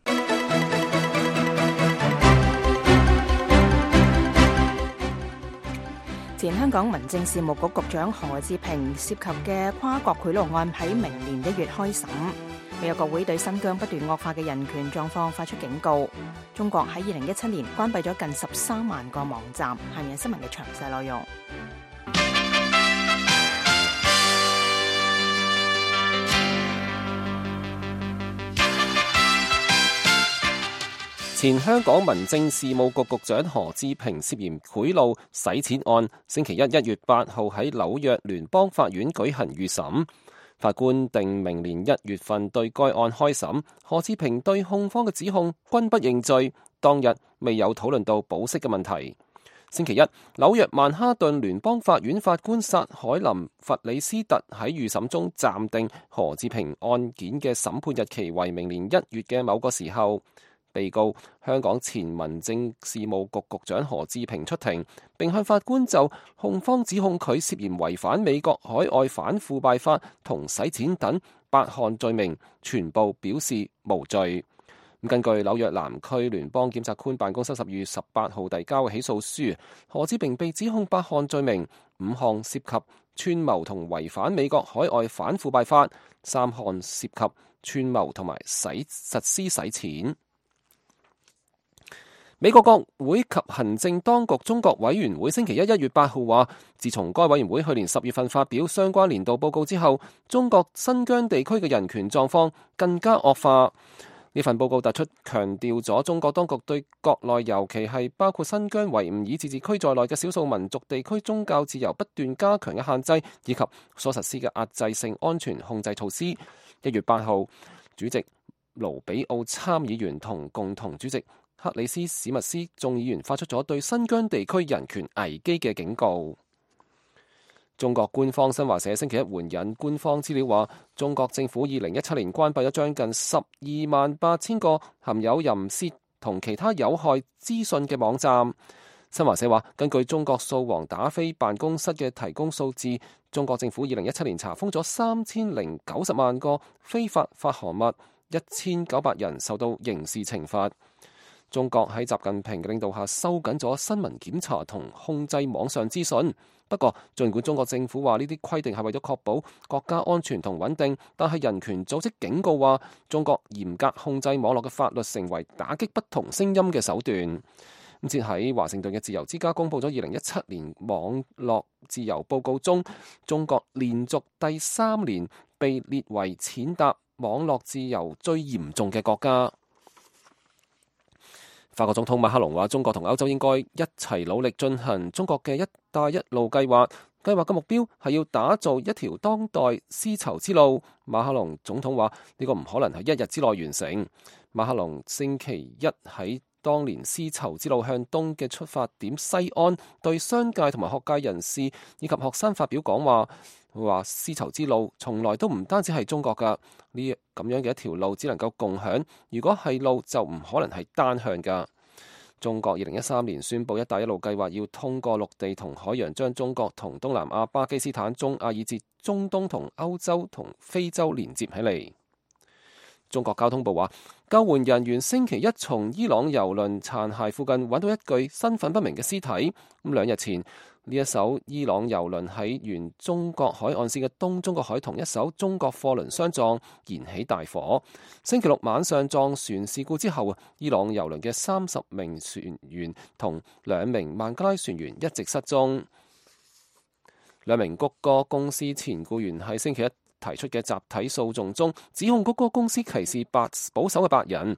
前香港民政事務局局長何志平涉及嘅跨國賄賂案喺明年一月開審。美國國會對新疆不斷惡化嘅人權狀況發出警告。中國喺二零一七年關閉咗近十三萬個網站。下面係新聞嘅詳細內容。前香港民政事務局局長何志平涉嫌賄賂洗錢案，星期一一月八號喺紐約聯邦法院舉行預審，法官定明年一月份對該案開審。何志平對控方嘅指控均不認罪，當日未有討論到保釋嘅問題。星期一，紐約曼哈頓聯邦法院法官薩海林弗里斯特喺預審中暫定何志平案件嘅審判日期為明年一月嘅某個時候。被告香港前民政事務局局長何志平出庭，並向法官就控方指控佢涉嫌違反美國海外反腐敗法同洗錢等八項罪名，全部表示無罪。根據紐約南區聯邦檢察官辦公室十二月十八號遞交嘅起訴書，何志平被指控八項罪名，五項涉及串謀同違反美國海外反腐敗法，三項涉及串謀同埋使實施洗錢。美國國會及行政當局中國委員會星期一一月八號話，自從該委員會去年十月份發表相關年度報告之後，中國新疆地區嘅人權狀況更加惡化。呢份報告突出強調咗中國當局對國內尤其係包括新疆維吾爾自治區在內嘅少數民族地區宗教自由不斷加強嘅限制，以及所實施嘅壓制性安全控制措施。一月八號，主席盧比奧參議員同共同主席克里斯史密斯眾議員發出咗對新疆地區人權危機嘅警告。中國官方新華社星期一援引官方資料話，中國政府二零一七年關閉咗將近十二萬八千個含有淫褻同其他有害資訊嘅網站。新華社話，根據中國掃黃打非辦公室嘅提供數字，中國政府二零一七年查封咗三千零九十萬個非法發行物，一千九百人受到刑事懲罰。中國喺習近平嘅領導下收緊咗新聞檢查同控制網上資訊。不過，儘管中國政府話呢啲規定係為咗確保國家安全同穩定，但係人權組織警告話，中國嚴格控制網絡嘅法律成為打擊不同聲音嘅手段。咁接喺華盛頓嘅自由之家公佈咗二零一七年網絡自由報告中，中國連續第三年被列為踐踏網絡自由最嚴重嘅國家。法國總統馬克龍話，中國同歐洲應該一齊努力進行中國嘅一帶一路計劃，計劃嘅目標係要打造一條當代絲綢之路。馬克龍總統話，呢個唔可能喺一日之內完成。馬克龍星期一喺當年絲綢之路向東嘅出發點西安，對商界同埋學界人士以及學生發表講話，佢話絲綢之路從來都唔單止係中國噶，呢咁樣嘅一條路只能夠共享，如果係路就唔可能係單向噶。中國二零一三年宣布一帶一路計劃要通過陸地同海洋將中國同東南亞、巴基斯坦、中亞以至中東同歐洲同非洲連接起嚟。中國交通部話，救援人員星期一從伊朗油輪殘骸附近揾到一具身份不明嘅屍體。咁兩日前，呢一艘伊朗油輪喺沿中國海岸線嘅東中國海同一艘中國貨輪相撞，燃起大火。星期六晚上撞船事故之後，伊朗油輪嘅三十名船員同兩名孟加拉船員一直失蹤。兩名谷歌公司前僱員喺星期一提出嘅集體訴訟中，指控谷歌公司歧視白保守嘅白人。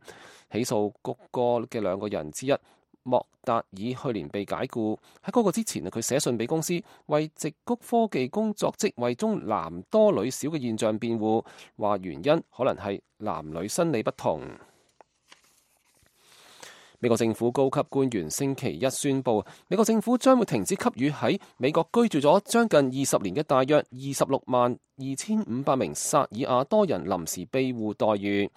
起訴谷歌嘅兩個人之一莫達爾去年被解僱，喺嗰個之前佢寫信俾公司，為矽谷科技工作職位中男多女少嘅現象辯護，話原因可能係男女生理不同。美國政府高級官員星期一宣布，美國政府將會停止給予喺美國居住咗將近二十年嘅大約二十六萬二千五百名薩爾瓦多人臨時庇護待遇。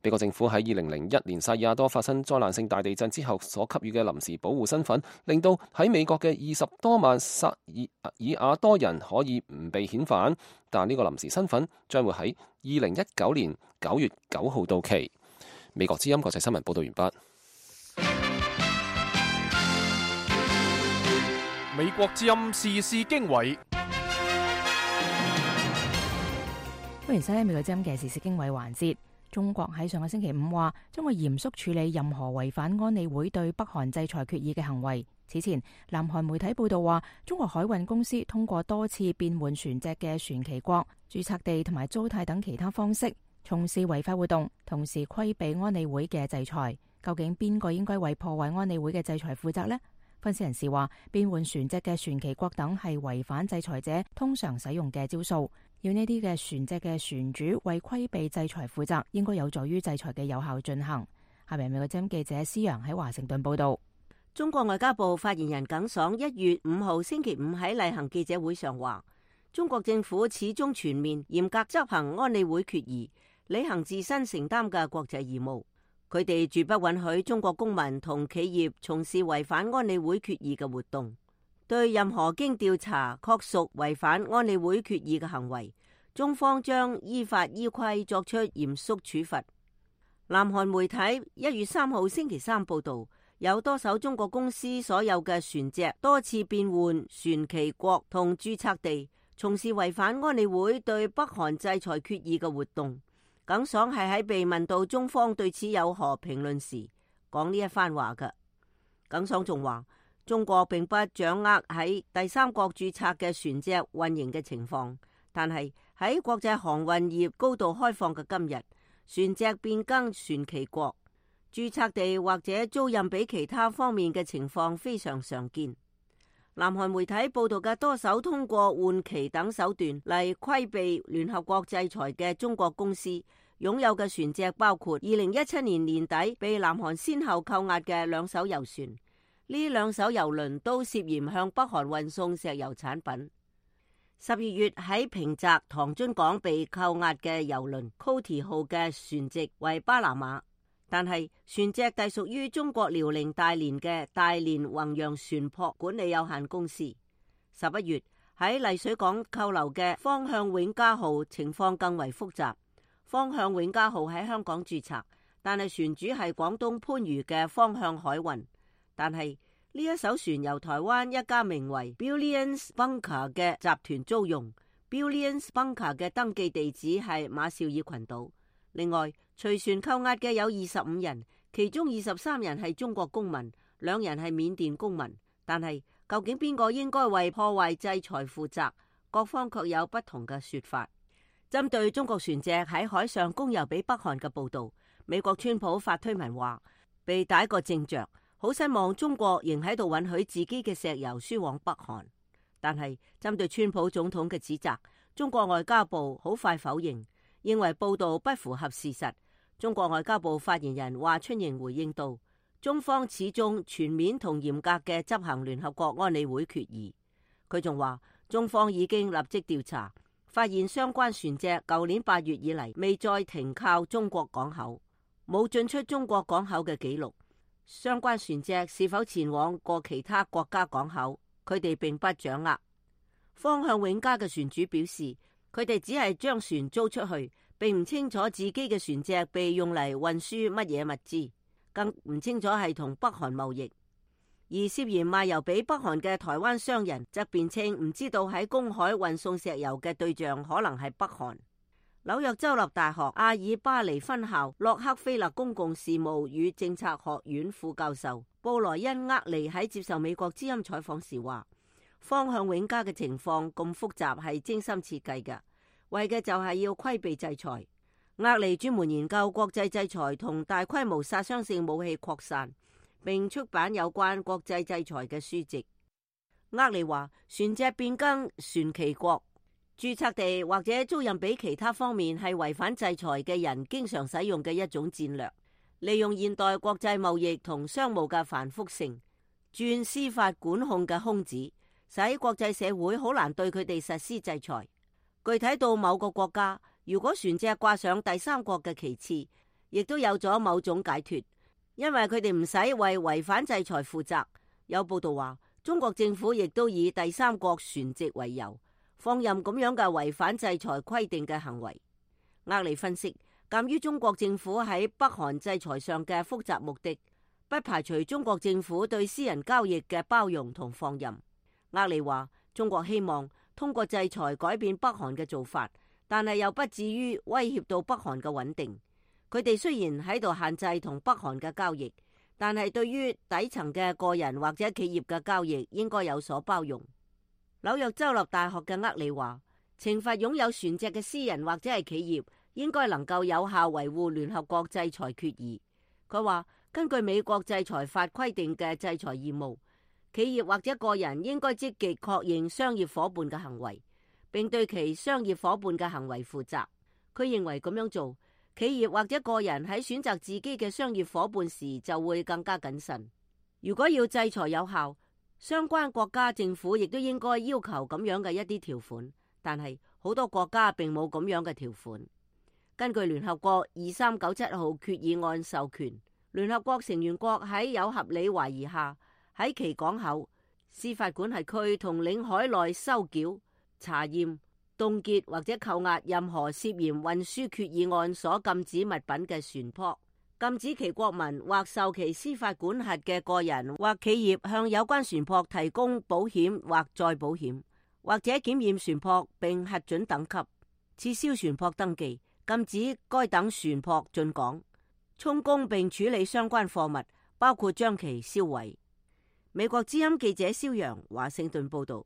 美國政府喺二零零一年薩爾瓦多發生災難性大地震之後所給予嘅臨時保護身份，令到喺美國嘅二十多萬薩爾瓦多人可以唔被遣返，但呢個臨時身份將會喺二零一九年九月九號到期。美國之音國際新聞報道完畢。美國之音時事經緯，歡迎收聽美國之音嘅時事經緯環節。中國喺上個星期五話，將會嚴肅處理任何違反安理會對北韓制裁決議嘅行為。此前，南韓媒體報道話，中國海運公司通過多次變換船隻嘅船旗國、註冊地同埋租貸等其他方式，從事違法活動，同時規避安理會嘅制裁。究竟邊個應該為破壞安理會嘅制裁負責呢？分析人士話，變換船隻嘅船旗國等係違反制裁者通常使用嘅招數。要呢啲嘅船隻嘅船主為規避制裁負責，應該有助於制裁嘅有效進行。下面美國之音記者施陽喺華盛頓報道。中國外交部發言人耿爽一月五號星期五喺例行記者會上話，中國政府始終全面嚴格執行安理會決議，履行自身承擔嘅國際義務。佢哋絕不允許中國公民同企業從事違反安理會決議嘅活動。對任何經調查確屬違反安理會決議嘅行為，中方將依法依規作出嚴肅處罰。南韓媒體一月三號星期三報道，有多艘中國公司所有嘅船隻多次變換船旗國同註冊地，從事違反安理會對北韓制裁決議嘅活動。耿爽係喺被問到中方對此有何評論時講呢一番話嘅。耿爽仲話，中國並不掌握喺第三國註冊嘅船隻運營嘅情況，但係喺國際航運業高度開放嘅今日，船隻變更船旗國、註冊地或者租賃俾其他方面嘅情況非常常見。南韓媒體報道嘅多艘通過換旗等手段嚟規避聯合國制裁嘅中國公司擁有嘅船隻，包括二零一七年年底被南韓先後扣押嘅兩艘油船。呢兩艘油輪都涉嫌向北韓運送石油產品。十二月喺平澤唐津港被扣押嘅油輪 Coty 號嘅船籍為巴拿馬，但係船隻隸屬於中國遼寧大連嘅大連宏洋船舶管理有限公司。十一月喺麗水港扣留嘅方向永嘉號情況更為複雜。方向永嘉號喺香港註冊，但係船主係廣東番禺嘅方向海運。但係呢一艘船由台灣一家名為 Billions Bunker 嘅集團租用。Billions Bunker 嘅登記地址係馬紹爾群島。另外，隨船扣押嘅有二十五人，其中二十三人係中國公民，兩人係緬甸公民。但係究竟邊個應該為破壞制裁負責？各方卻有不同嘅說法。針對中國船隻喺海上供油俾北韓嘅報道，美國川普發推文話，被打個正着。好失望，中國仍喺度允許自己嘅石油輸往北韓。但係針對川普總統嘅指責，中國外交部好快否認，認為報道不符合事實。中國外交部發言人華春瑩回應道，中方始終全面同嚴格嘅執行聯合國安理會決議。佢仲話，中方已經立即調查，發現相關船隻舊年八月以嚟未再停靠中國港口，冇進出中國港口嘅記錄。相關船隻是否前往過其他國家港口，佢哋並不掌握。方向永嘉嘅船主表示，佢哋只係將船租出去，並唔清楚自己嘅船隻被用嚟運輸乜嘢物資，更唔清楚係同北韓貿易。而涉嫌賣油俾北韓嘅台灣商人則辯稱唔知道喺公海運送石油嘅對象可能係北韓。紐約州立大學阿爾巴尼分校洛克菲勒公共事務與政策學院副教授布萊恩厄利喺接受美國之音採訪時話，方向永嘉嘅情況咁複雜係精心設計嘅，為嘅就係要規避制裁。厄利專門研究國際制裁同大規模殺傷性武器擴散，並出版有關國際制裁嘅書籍。厄利話，船隻變更船旗國、註冊地或者租賃俾其他方面係違反制裁嘅人經常使用嘅一種戰略。利用現代國際貿易同商務嘅繁複性，鑽司法管控嘅空子，使國際社會好難對佢哋實施制裁。具體到某個國家，如果船隻掛上第三國嘅旗幟，亦都有咗某種解脫，因為佢哋唔使為違反制裁負責。有報道話，中國政府亦都以第三國船籍為由，放任咁樣嘅違反制裁規定嘅行為。厄利分析，鑒於中國政府喺北韓制裁上嘅複雜目的，不排除中國政府對私人交易嘅包容同放任。厄利話，中國希望通過制裁改變北韓嘅做法，但係又不至於威脅到北韓嘅穩定。佢哋雖然喺度限制同北韓嘅交易，但係對於底層嘅個人或者企業嘅交易應該有所包容。紐約州立大學嘅厄利話，懲罰擁有船隻嘅私人或者係企業，應該能夠有效維護聯合國制裁決議。佢話，根據美國制裁法規定嘅制裁義務，企業或者個人應該積極確認商業夥伴嘅行為，並對其商業夥伴嘅行為負責。佢認為咁樣做，企業或者個人喺選擇自己嘅商業夥伴時就會更加謹慎。如果要制裁有效，相關國家政府亦都應該要求咁樣嘅一啲條款，但係好多國家並冇咁樣嘅條款。根據聯合國二三九七號決議案授權，聯合國成員國喺有合理懷疑下，喺其港口、司法管轄區同領海內收繳、查驗、凍結或者扣押任何涉嫌運輸決議案所禁止物品嘅船舶，禁止其國民或受其司法管轄嘅個人或企業向有關船舶提供保險或再保險，或者檢驗船舶並核准等級，撤銷船舶登記，禁止該等船舶進港，充公並處理相關貨物，包括將其銷毀。美國之音記者蕭陽華盛頓報道。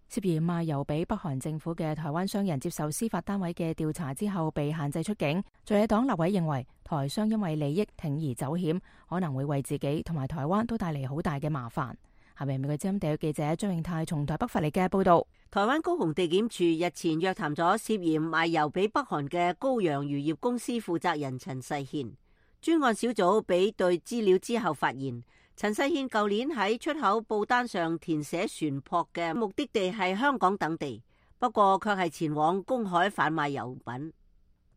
涉嫌賣油俾北韓政府嘅台灣商人接受司法單位嘅調查之後被限制出境。在野黨立委認為，台商因為利益鋌而走險，可能會為自己同埋台灣都帶嚟好大嘅麻煩。下面美國之音地約記者張永泰從台北發嚟嘅報道。台灣高雄地檢署日前約談咗涉嫌賣油俾北韓嘅高陽漁業公司負責人陳世憲。專案小組比對資料之後發現，陳世憲舊年喺出口報單上填寫船舶嘅目的地係香港等地，不過卻係前往公海販賣油品。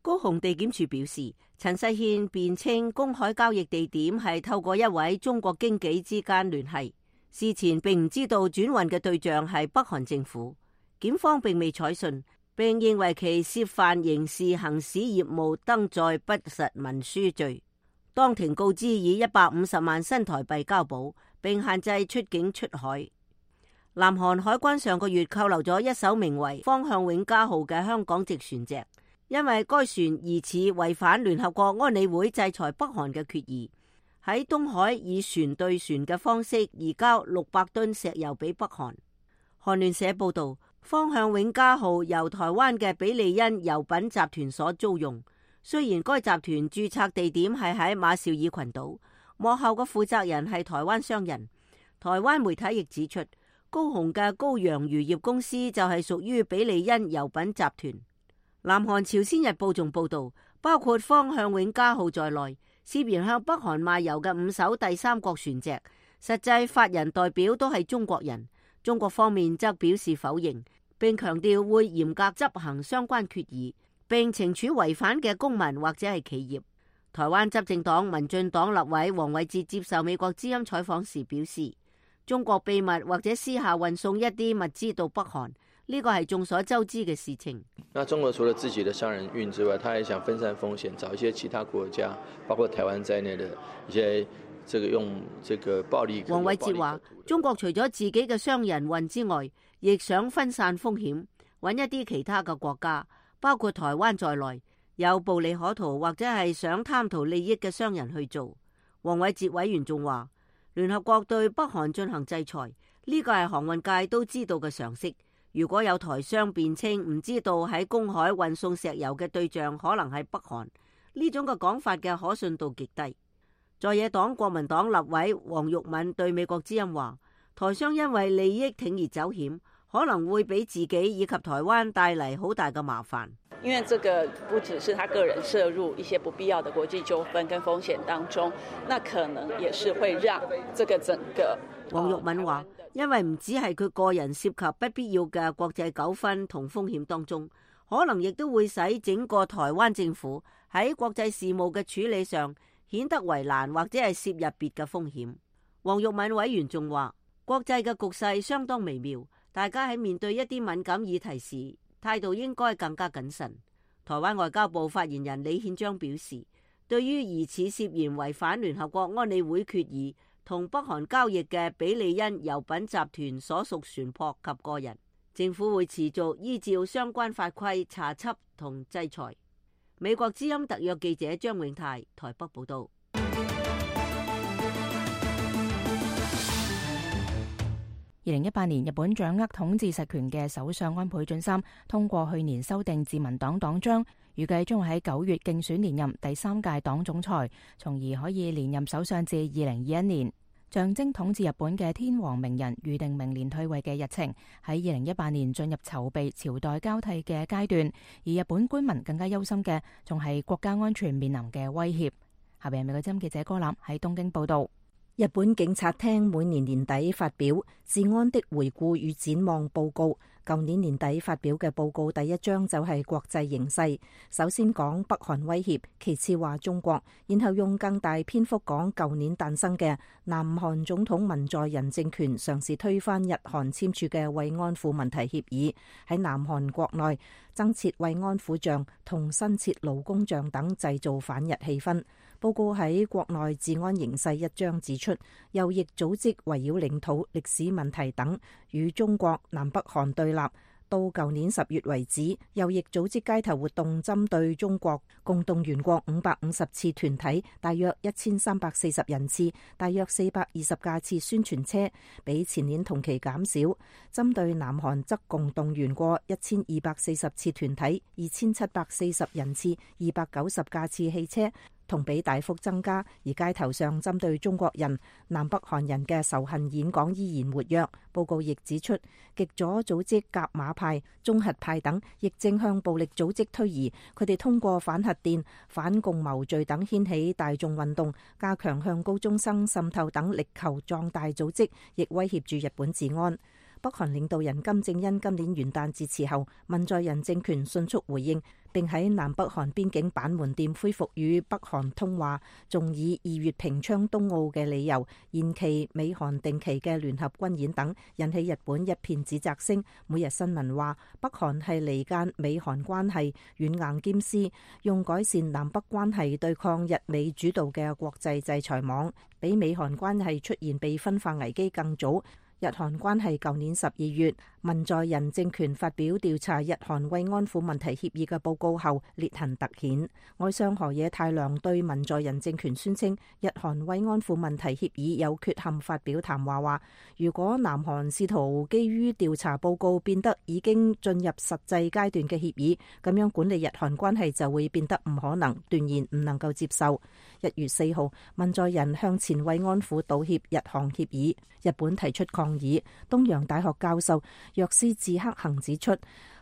高雄地檢署表示，陳世憲辯稱公海交易地點係透過一位中國經紀之間聯繫，事前並唔知道轉運嘅對象係北韓政府。檢方並未採信，並認為其涉犯刑事行使業務登載不實文書罪。當庭告知以一百五十萬新台幣交保，並限制出境出海。南韓海關上個月扣留咗一艘名為方向永嘉號嘅香港籍船隻，因為該船疑似違反聯合國安理會制裁北韓嘅決議，喺東海以船對船嘅方式移交六百噸石油俾北韓。韓聯社報道，方向永嘉號由台灣嘅比利恩油品集團所租用。雖然該集團註冊地點係喺馬紹爾群島，幕後嘅負責人係台灣商人。台灣媒體亦指出，高雄嘅高陽漁業公司就係屬於比利恩油品集團。南韓朝鮮日報仲報道，包括方向永嘉號在內，涉嫌向北韓賣油嘅五艘第三國船隻，實際法人代表都係中國人。中國方面則表示否認，並強調會嚴格執行相關決議，並懲處違反嘅公民或者係企業。台灣執政黨民進黨立委黃偉哲接受美國之音採訪時表示，中國秘密或者私下運送一啲物資到北韓，呢個係眾所周知嘅事情。那中國除了自己的商人運之外，他也想分散風險，找一些其他國家，包括台灣在內的一些這個用這個暴力。黃偉哲話，中國除咗自己嘅商人運之外，亦想分散風險，揾一啲其他嘅國家，包括台灣在內，有暴利可圖或者係想貪圖利益嘅商人去做。黃偉哲委員仲話，聯合國對北韓進行制裁，呢個係航運界都知道嘅常識。如果有台商辯稱唔知道喺公海運送石油嘅對象可能係北韓，呢種嘅講法嘅可信度極低。在野黨國民黨立委黃玉敏對美國之音話，台商因為利益鋌而走險，可能會俾自己以及台灣帶嚟好大嘅麻煩。因為這個不只是他個人涉入一些不必要的國際糾紛跟風險當中，那可能也是會讓這個整個。黃玉敏話，因為唔止係佢個人涉及不必要嘅國際糾紛同風險當中，可能亦都會使整個台灣政府喺國際事務嘅處理上顯得為難，或者係涉入別嘅風險。黃玉敏委員仲話，國際嘅局勢相當微妙，大家喺面對一啲敏感議題時，態度應該更加謹慎。台灣外交部發言人李憲章表示，對於疑似涉嫌違反聯合國安理會決議同北韓交易嘅比利恩油品集團所屬船舶及個人，政府會持續依照相關法規查緝同制裁。美國之音特約記者張永泰台北報道。二零一八年，日本掌握統治實權嘅首相安倍晉三通過去年修訂自民黨黨章，預計將會喺九月競選連任第三屆黨總裁，從而可以連任首相至二零二一年。象徵統治日本嘅天皇明仁預定明年退位嘅日程，喺二零一八年進入籌備朝代交替嘅階段，而日本官民更加憂心嘅仲係國家安全面臨嘅威脅。下邊係美國之音記者柯南喺東京報道。日本警察廳每年年底發表治安的回顧與展望報告，舊年年底發表嘅報告第一章就係國際形勢，首先講北韓威脅，其次話中國，然後用更大篇幅講舊年誕生嘅南韓總統文在寅政權嘗試推翻日韓簽署嘅慰安婦問題協議，喺南韓國內增設慰安婦像同新設勞工像等，製造反日氣氛。報告喺國內治安形勢一章指出，右翼組織圍繞領土、歷史問題等與中國、南北韓對立。到舊年十月為止，右翼組織街頭活動針對中國共動員過五百五十次團體，大約一千三百四十人次，大約四百二十架次宣傳車，比前年同期減少。針對南韓則共動員過一千二百四十次團體，二千七百四十人次，二百九十架次汽車，同比大幅增加。而街頭上針對中國人、南北韓人嘅仇恨演講依然活躍。報告亦指出，極左組織甲馬派、中核派等亦正向暴力組織推移，佢哋通過反核電、反共謀罪等掀起大眾運動，加強向高中生滲透等，力求壯大組織，亦威脅住日本治安。北韓領導人金正恩今年元旦致辭後，文在寅政權迅速回應，並喺南北韓邊境板門店恢復與北韓通話，仲以二月平昌冬奧嘅理由延期美韓定期嘅聯合軍演等，引起日本一片指責聲。每日新聞話，北韓係離間美韓關係，軟硬兼施，用改善南北關係對抗日美主導嘅國際制裁網，比美韓關係出現被分化危機更早。日韓關係舊年十二月，文在寅政權發表調查日韓慰安婦問題協議嘅報告後，裂痕突顯。外相河野太郎對文在寅政權宣稱日韓慰安婦問題協議有缺陷發表談話，話如果南韓試圖基於調查報告變得已經進入實際階段嘅協議，咁樣管理日韓關係就會變得唔可能，斷言唔能夠接受。一月四號，文在寅向前慰安婦道歉日韓協議，日本提出抗議。東洋大學教授若斯智克行指出，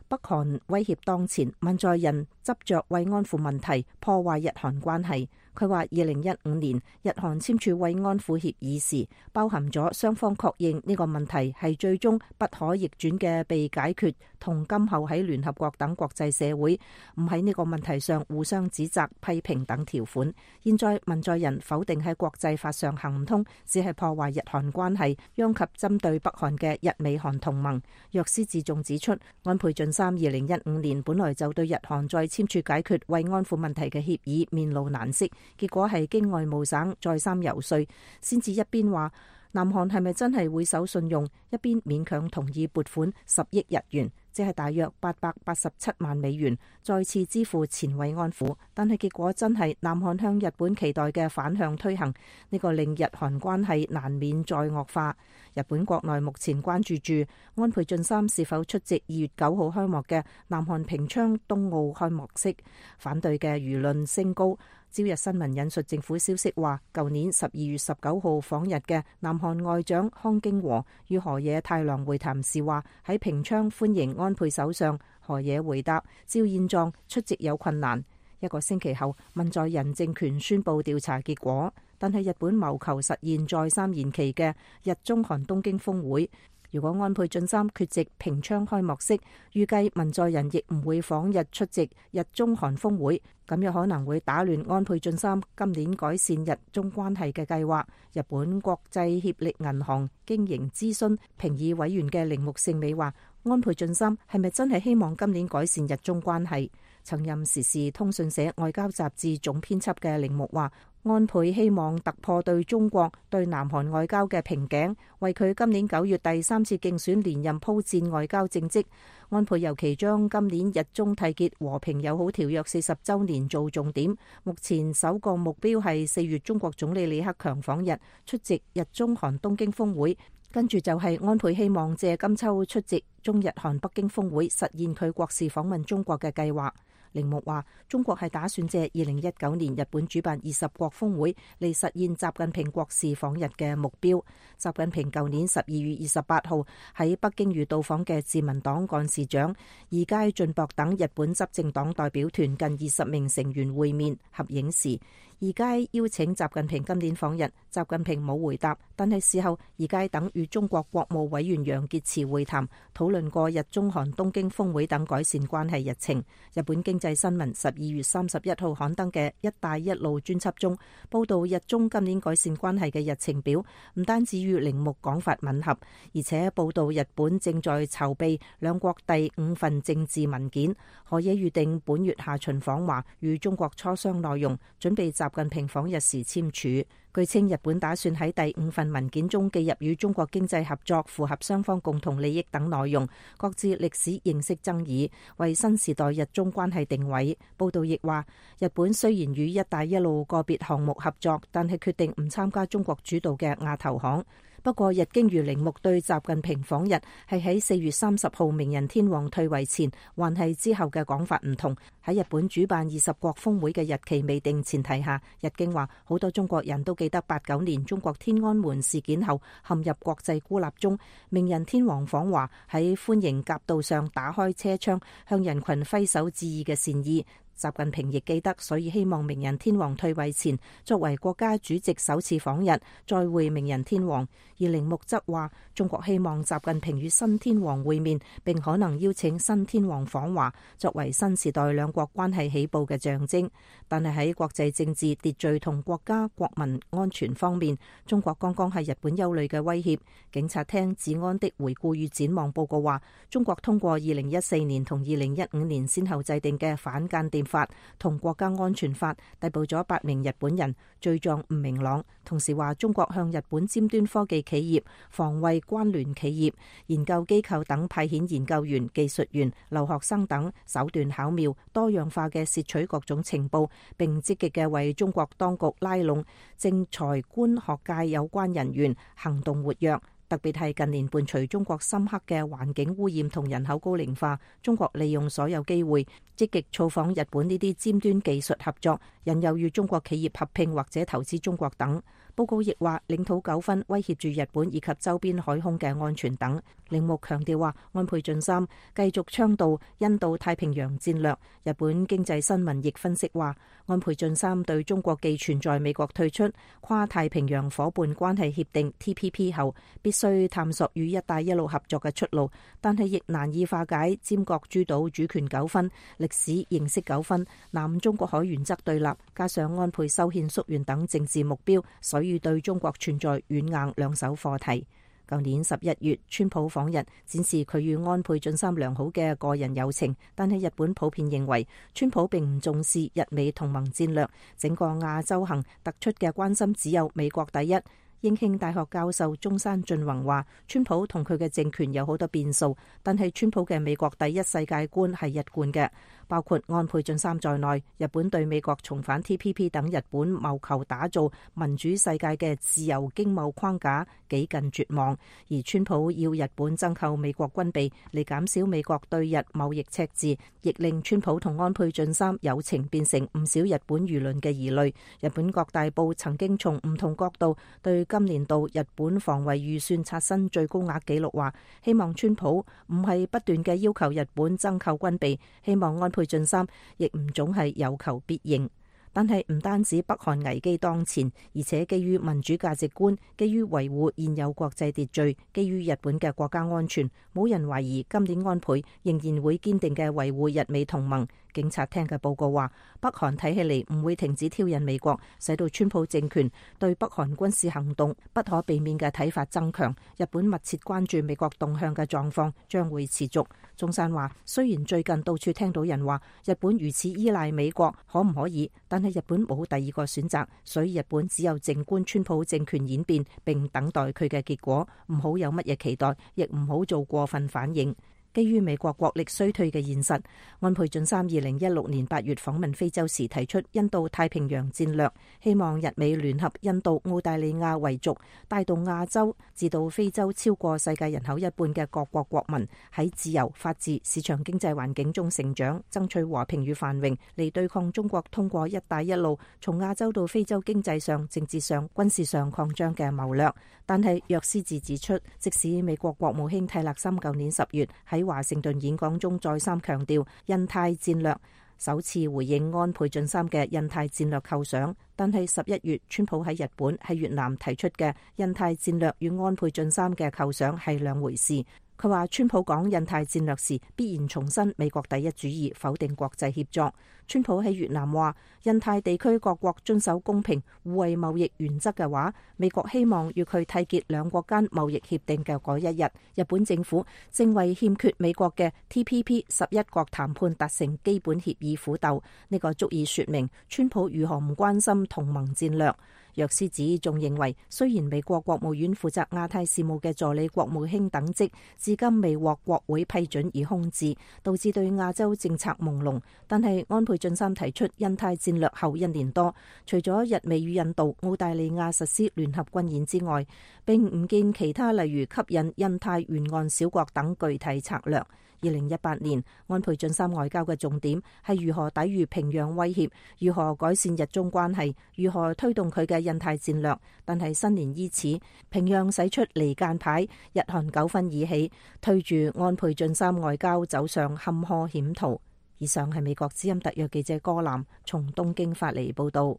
北韓威脅當前，文在寅執着慰安婦問題破壞日韓關係。佢話：二零一五年日韓簽署慰安婦協議時，包含咗雙方確認呢個問題係最終不可逆轉嘅被解決，同今後喺聯合國等國際社會唔喺呢個問題上互相指責、批評等條款。現在文在寅否定喺國際法上行唔通，只係破壞日韓關係，殃及針對北韓嘅日美韓同盟。若斯智仲指出，安倍晉三二零一五年本來就對日韓再簽署解決慰安婦問題嘅協議面露難色。結果係經外務省再三游說，先至一邊話南韓係咪真係會守信用，一邊勉強同意撥款十億日元，即係大約八百八十七萬美元，再次支付前慰安婦。但係結果真係南韓向日本期待嘅反向推行，呢個令日韓關係難免再惡化。日本國內目前關注住安倍晉三是否出席二月九號開幕嘅南韓平昌冬奧開幕式，反對嘅輿論升高。朝日新聞引述政府消息話，舊年十二月十九號訪日嘅南韓外長康京和與河野太郎會談時話，喺平昌歡迎安倍首相。河野回答，照現狀出席有困難。一個星期後，文在寅政權宣布調查結果，但係日本謀求實現再三延期嘅日中韓東京峰會。如果安倍晉三缺席平昌開幕式，預計文在寅亦唔會訪日出席日中韓峰會，咁有可能會打亂安倍晉三今年改善日中關係嘅計劃。日本國際協力銀行經營諮詢評議委員嘅鈴木聖美話，安倍晉三係咪真係希望今年改善日中關係？曾任時事通訊社外交雜誌總編輯嘅鈴木話，安倍希望突破對中國對南韓外交嘅瓶頸，為佢今年九月第三次競選連任鋪墊外交政績。安倍尤其將今年日中締結和平友好條約四十週年做重點，目前首個目標係四月中國總理李克強訪日出席日中韓東京峰會，跟住就係安倍希望借今秋出席中日韓北京峰會，實現佢國事訪問中國嘅計劃。鈴木話，中國係打算借二零一九年日本主辦二十國峰會嚟實現習近平國事訪日嘅目標。習近平舊年十二月二十八號喺北京與到訪嘅自民黨幹事長二階俊博等日本執政黨代表團近二十名成員會面合影時，二階邀請習近平今年訪日，習近平冇回答，但係事後二階等與中國國務委員楊潔篪會談，討論過日中韓東京峰會等改善關係日程。日本經濟新聞十二月三十一號刊登嘅一帶一路專輯中，報道日中今年改善關係嘅日程表，唔單止與鈴木講法吻合，而且報道日本正在籌備兩國第五份政治文件，河野預定本月下旬訪華，與中國磋商內容，準備習近平訪日時簽署。據稱，日本打算喺第五份文件中記入與中國經濟合作、符合雙方共同利益等內容，各自歷史認識爭議，為新時代日中關係定位。報道亦話，日本雖然與一帶一路個別項目合作，但係決定唔參加中國主導嘅亞投行。不過，日經與鈴木對習近平訪日係喺四月三十號明仁天皇退位前，還係之後嘅講法唔同。喺日本主辦二十國峰會嘅日期未定前提下，日經話好多中國人都記得八九年中國天安門事件後陷入國際孤立中，明仁天皇訪華喺歡迎夾道上打開車窗向人群揮手致意嘅善意。習近平亦記得，所以希望明仁天皇退位前作為國家主席首次訪日，再會明仁天皇。而鈴木則話，中國希望習近平與新天皇會面，並可能邀請新天皇訪華，作為新時代兩國關係起步嘅象徵。但係喺國際政治秩序同國家國民安全方面，中國剛剛係日本憂慮嘅威脅。警察廳治安的回顧與展望報告話，中國通過二零一四年同二零一五年先後制定嘅反間諜法同國家安全法逮捕咗八名日本人，罪狀唔明朗。同時話，中國向日本尖端科技企業、防衛關聯企業、研究機構等派遣研究員、技術員、留學生等，手段巧妙、多樣化嘅竊取各種情報，並積極嘅為中國當局拉攏政財官學界有關人員，行動活躍。特別係近年伴隨中國深刻嘅環境污染同人口高齡化，中國利用所有機會積極造訪日本呢啲尖端技術合作，引誘與中國企業合併或者投資中國等。報告亦話，領土糾紛威脅住日本以及周邊海空嘅安全等。鈴木強調話，安倍晉三繼續倡導印度太平洋戰略。日本經濟新聞亦分析話，安倍晉三對中國既存在美國退出跨太平洋夥伴關係協定 T P P 後，必須探索與一帶一路合作嘅出路，但係亦難以化解尖閣諸島主權糾紛、歷史認識糾紛、南中國海原則對立，加上安倍修憲縮員等政治目標，所以對中國存在軟硬兩手課題。舊年十一月，川普訪日，展示佢與安倍晉三良好嘅個人友情，但係日本普遍認為川普並唔重視日美同盟戰略，整個亞洲行突出嘅關心只有美國第一。英慶大學教授中山俊宏話，川普同佢嘅政權有好多變數，但係川普嘅美國第一世界觀係一貫嘅。包括安倍晉三在內，日本對美國重返 T P P 等日本謀求打造民主世界嘅自由經貿框架幾近絕望，而川普要日本增購美國軍備嚟減少美國對日貿易赤字，亦令川普同安倍晉三友情變成唔少日本輿論嘅疑慮。日本各大報曾經從唔同角度對今年度日本防衛預算刷新最高額紀錄，話希望川普唔係不斷嘅要求日本增購軍備，希望安倍晉三亦唔總係有求必應。但係唔單止北韓危機當前，而且基於民主價值觀，基於維護現有國際秩序，基於日本嘅國家安全，冇人懷疑今年安倍仍然會堅定嘅維護日美同盟。警察廳嘅報告話，北韓睇起嚟唔會停止挑釁美國，使到川普政權對北韓軍事行動不可避免嘅睇法增強。日本密切關注美國動向嘅狀況將會持續。中山話，雖然最近到處聽到人話日本如此依賴美國，可唔可以？但係日本冇第二個選擇，所以日本只有靜觀川普政權演變，並等待佢嘅結果，唔好有乜嘢期待，亦唔好做過分反應。基於美國國力衰退嘅現實，安倍晉三二零一六年八月訪問非洲時提出印度太平洋戰略，希望日美聯合印度、澳大利亞為族，帶動亞洲至到非洲超過世界人口一半嘅各國國民喺自由、法治、市場經濟環境中成長，爭取和平與繁榮，嚟對抗中國通過一帶一路從亞洲到非洲經濟上、政治上、軍事上擴張嘅謀略。但係約斯治指出，即使美國國務卿蒂勒森舊年十月喺華盛頓演講中再三強調印太戰略，首次回應安倍晉三嘅印太戰略構想，但係十一月川普喺日本、喺越南提出嘅印太戰略與安倍晉三嘅構想係兩回事。佢話川普講印太戰略時必然重申美國第一主義，否定國際協作。川普喺越南話印太地區各國遵守公平互惠貿易原則嘅話，美國希望與佢締結兩國間貿易協定嘅嗰一日。日本政府正為欠缺美國嘅 T P P 十一國談判達成基本協議苦鬥，呢個足以說明川普如何唔關心同盟戰略。約斯子仲認為，雖然美國國務院負責亞太事務嘅助理國務卿等職至今未獲國會批准而空置，導致對亞洲政策朦朧，但係安倍晉三提出印太戰略後一年多，除咗日美與印度、澳大利亞實施聯合軍演之外，並唔見其他例如吸引印太沿岸小國等具體策略。二零一八年，安倍晉三外交嘅重點係如何抵禦平壤威脅，如何改善日中關係，如何推動佢嘅印太戰略。但係新年伊始，平壤使出離間牌，日韓糾紛已起，推住安倍晉三外交走上坎坷險途。以上係美國之音特約記者柯南從東京發嚟報道。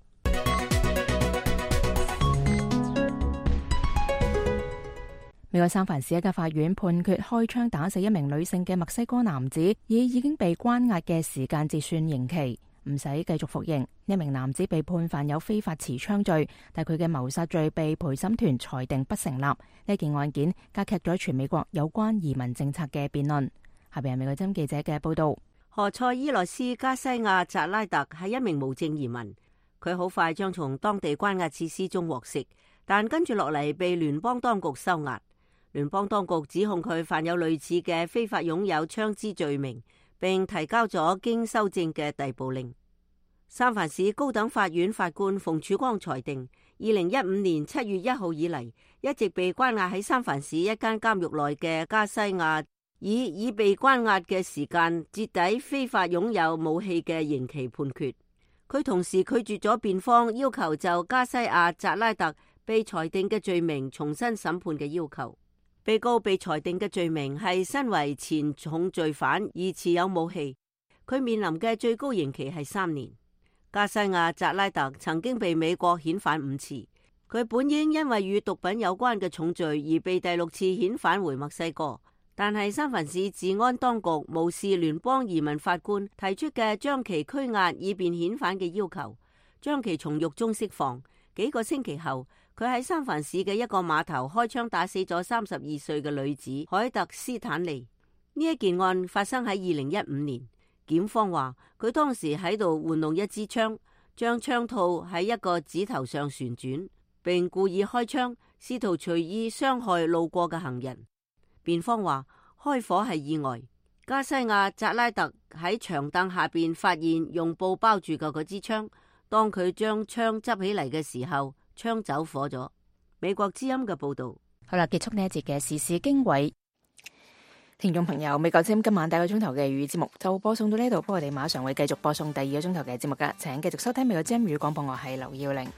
美國三藩市一家法院判決開槍打死一名女性嘅墨西哥男子，以已經被關押嘅時間截算刑期，唔使繼續服刑。呢名男子被判犯有非法持槍罪，但佢嘅謀殺罪被陪審團裁定不成立。呢件案件加劇咗全美國有關移民政策嘅辯論。下邊係美國之音記者嘅報道。何塞伊洛斯加西亞扎拉特係一名無證移民，佢好快將從當地關押設施中獲釋，但跟住落嚟被聯邦當局收押。聯邦當局指控佢犯有類似嘅非法擁有槍支罪名，並提交咗經修正嘅逮捕令。三藩市高等法院法官馮曙光裁定，二零一五年七月一號以嚟，一直被關押喺三藩市一間監獄內嘅加西亞，以已被關押嘅時間折抵非法擁有武器嘅刑期判決。佢同時拒絕咗辯方要求就加西亞扎拉特被裁定嘅罪名重新審判嘅要求。被告被裁定嘅罪名係身為前重罪犯而持有武器，佢面臨嘅最高刑期係三年。加西亞扎拉特曾經被美國遣返五次，佢本應因為與毒品有關嘅重罪而被第六次遣返回墨西哥，但係三藩市治安當局無視聯邦移民法官提出嘅將其拘押以便遣返嘅要求，將其從獄中釋放。幾個星期後，佢喺三藩市嘅一個碼頭開槍打死咗三十二歲嘅女子海特斯坦利。呢一件案發生喺二零一五年，檢方話佢當時喺度玩弄一支槍，將槍套喺一個指頭上旋轉，並故意開槍，試圖隨意傷害路過嘅行人。辯方話開火係意外。加西亞扎拉特喺長凳下邊發現用布包住嘅嗰支槍，當佢將槍執起嚟嘅時候，槍走火咗。美國之音嘅報道。好啦，結束呢一節嘅時事經緯。聽眾朋友，美國之音今晚第一個鐘頭嘅粵語節目就播送到呢度，不過我哋馬上會繼續播送第二個鐘頭嘅節目噶，請繼續收聽美國之音粵語廣播，我係劉耀玲。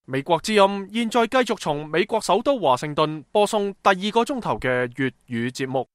美國之音現在繼續從美國首都華盛頓播送第二個鐘頭嘅粵語節目。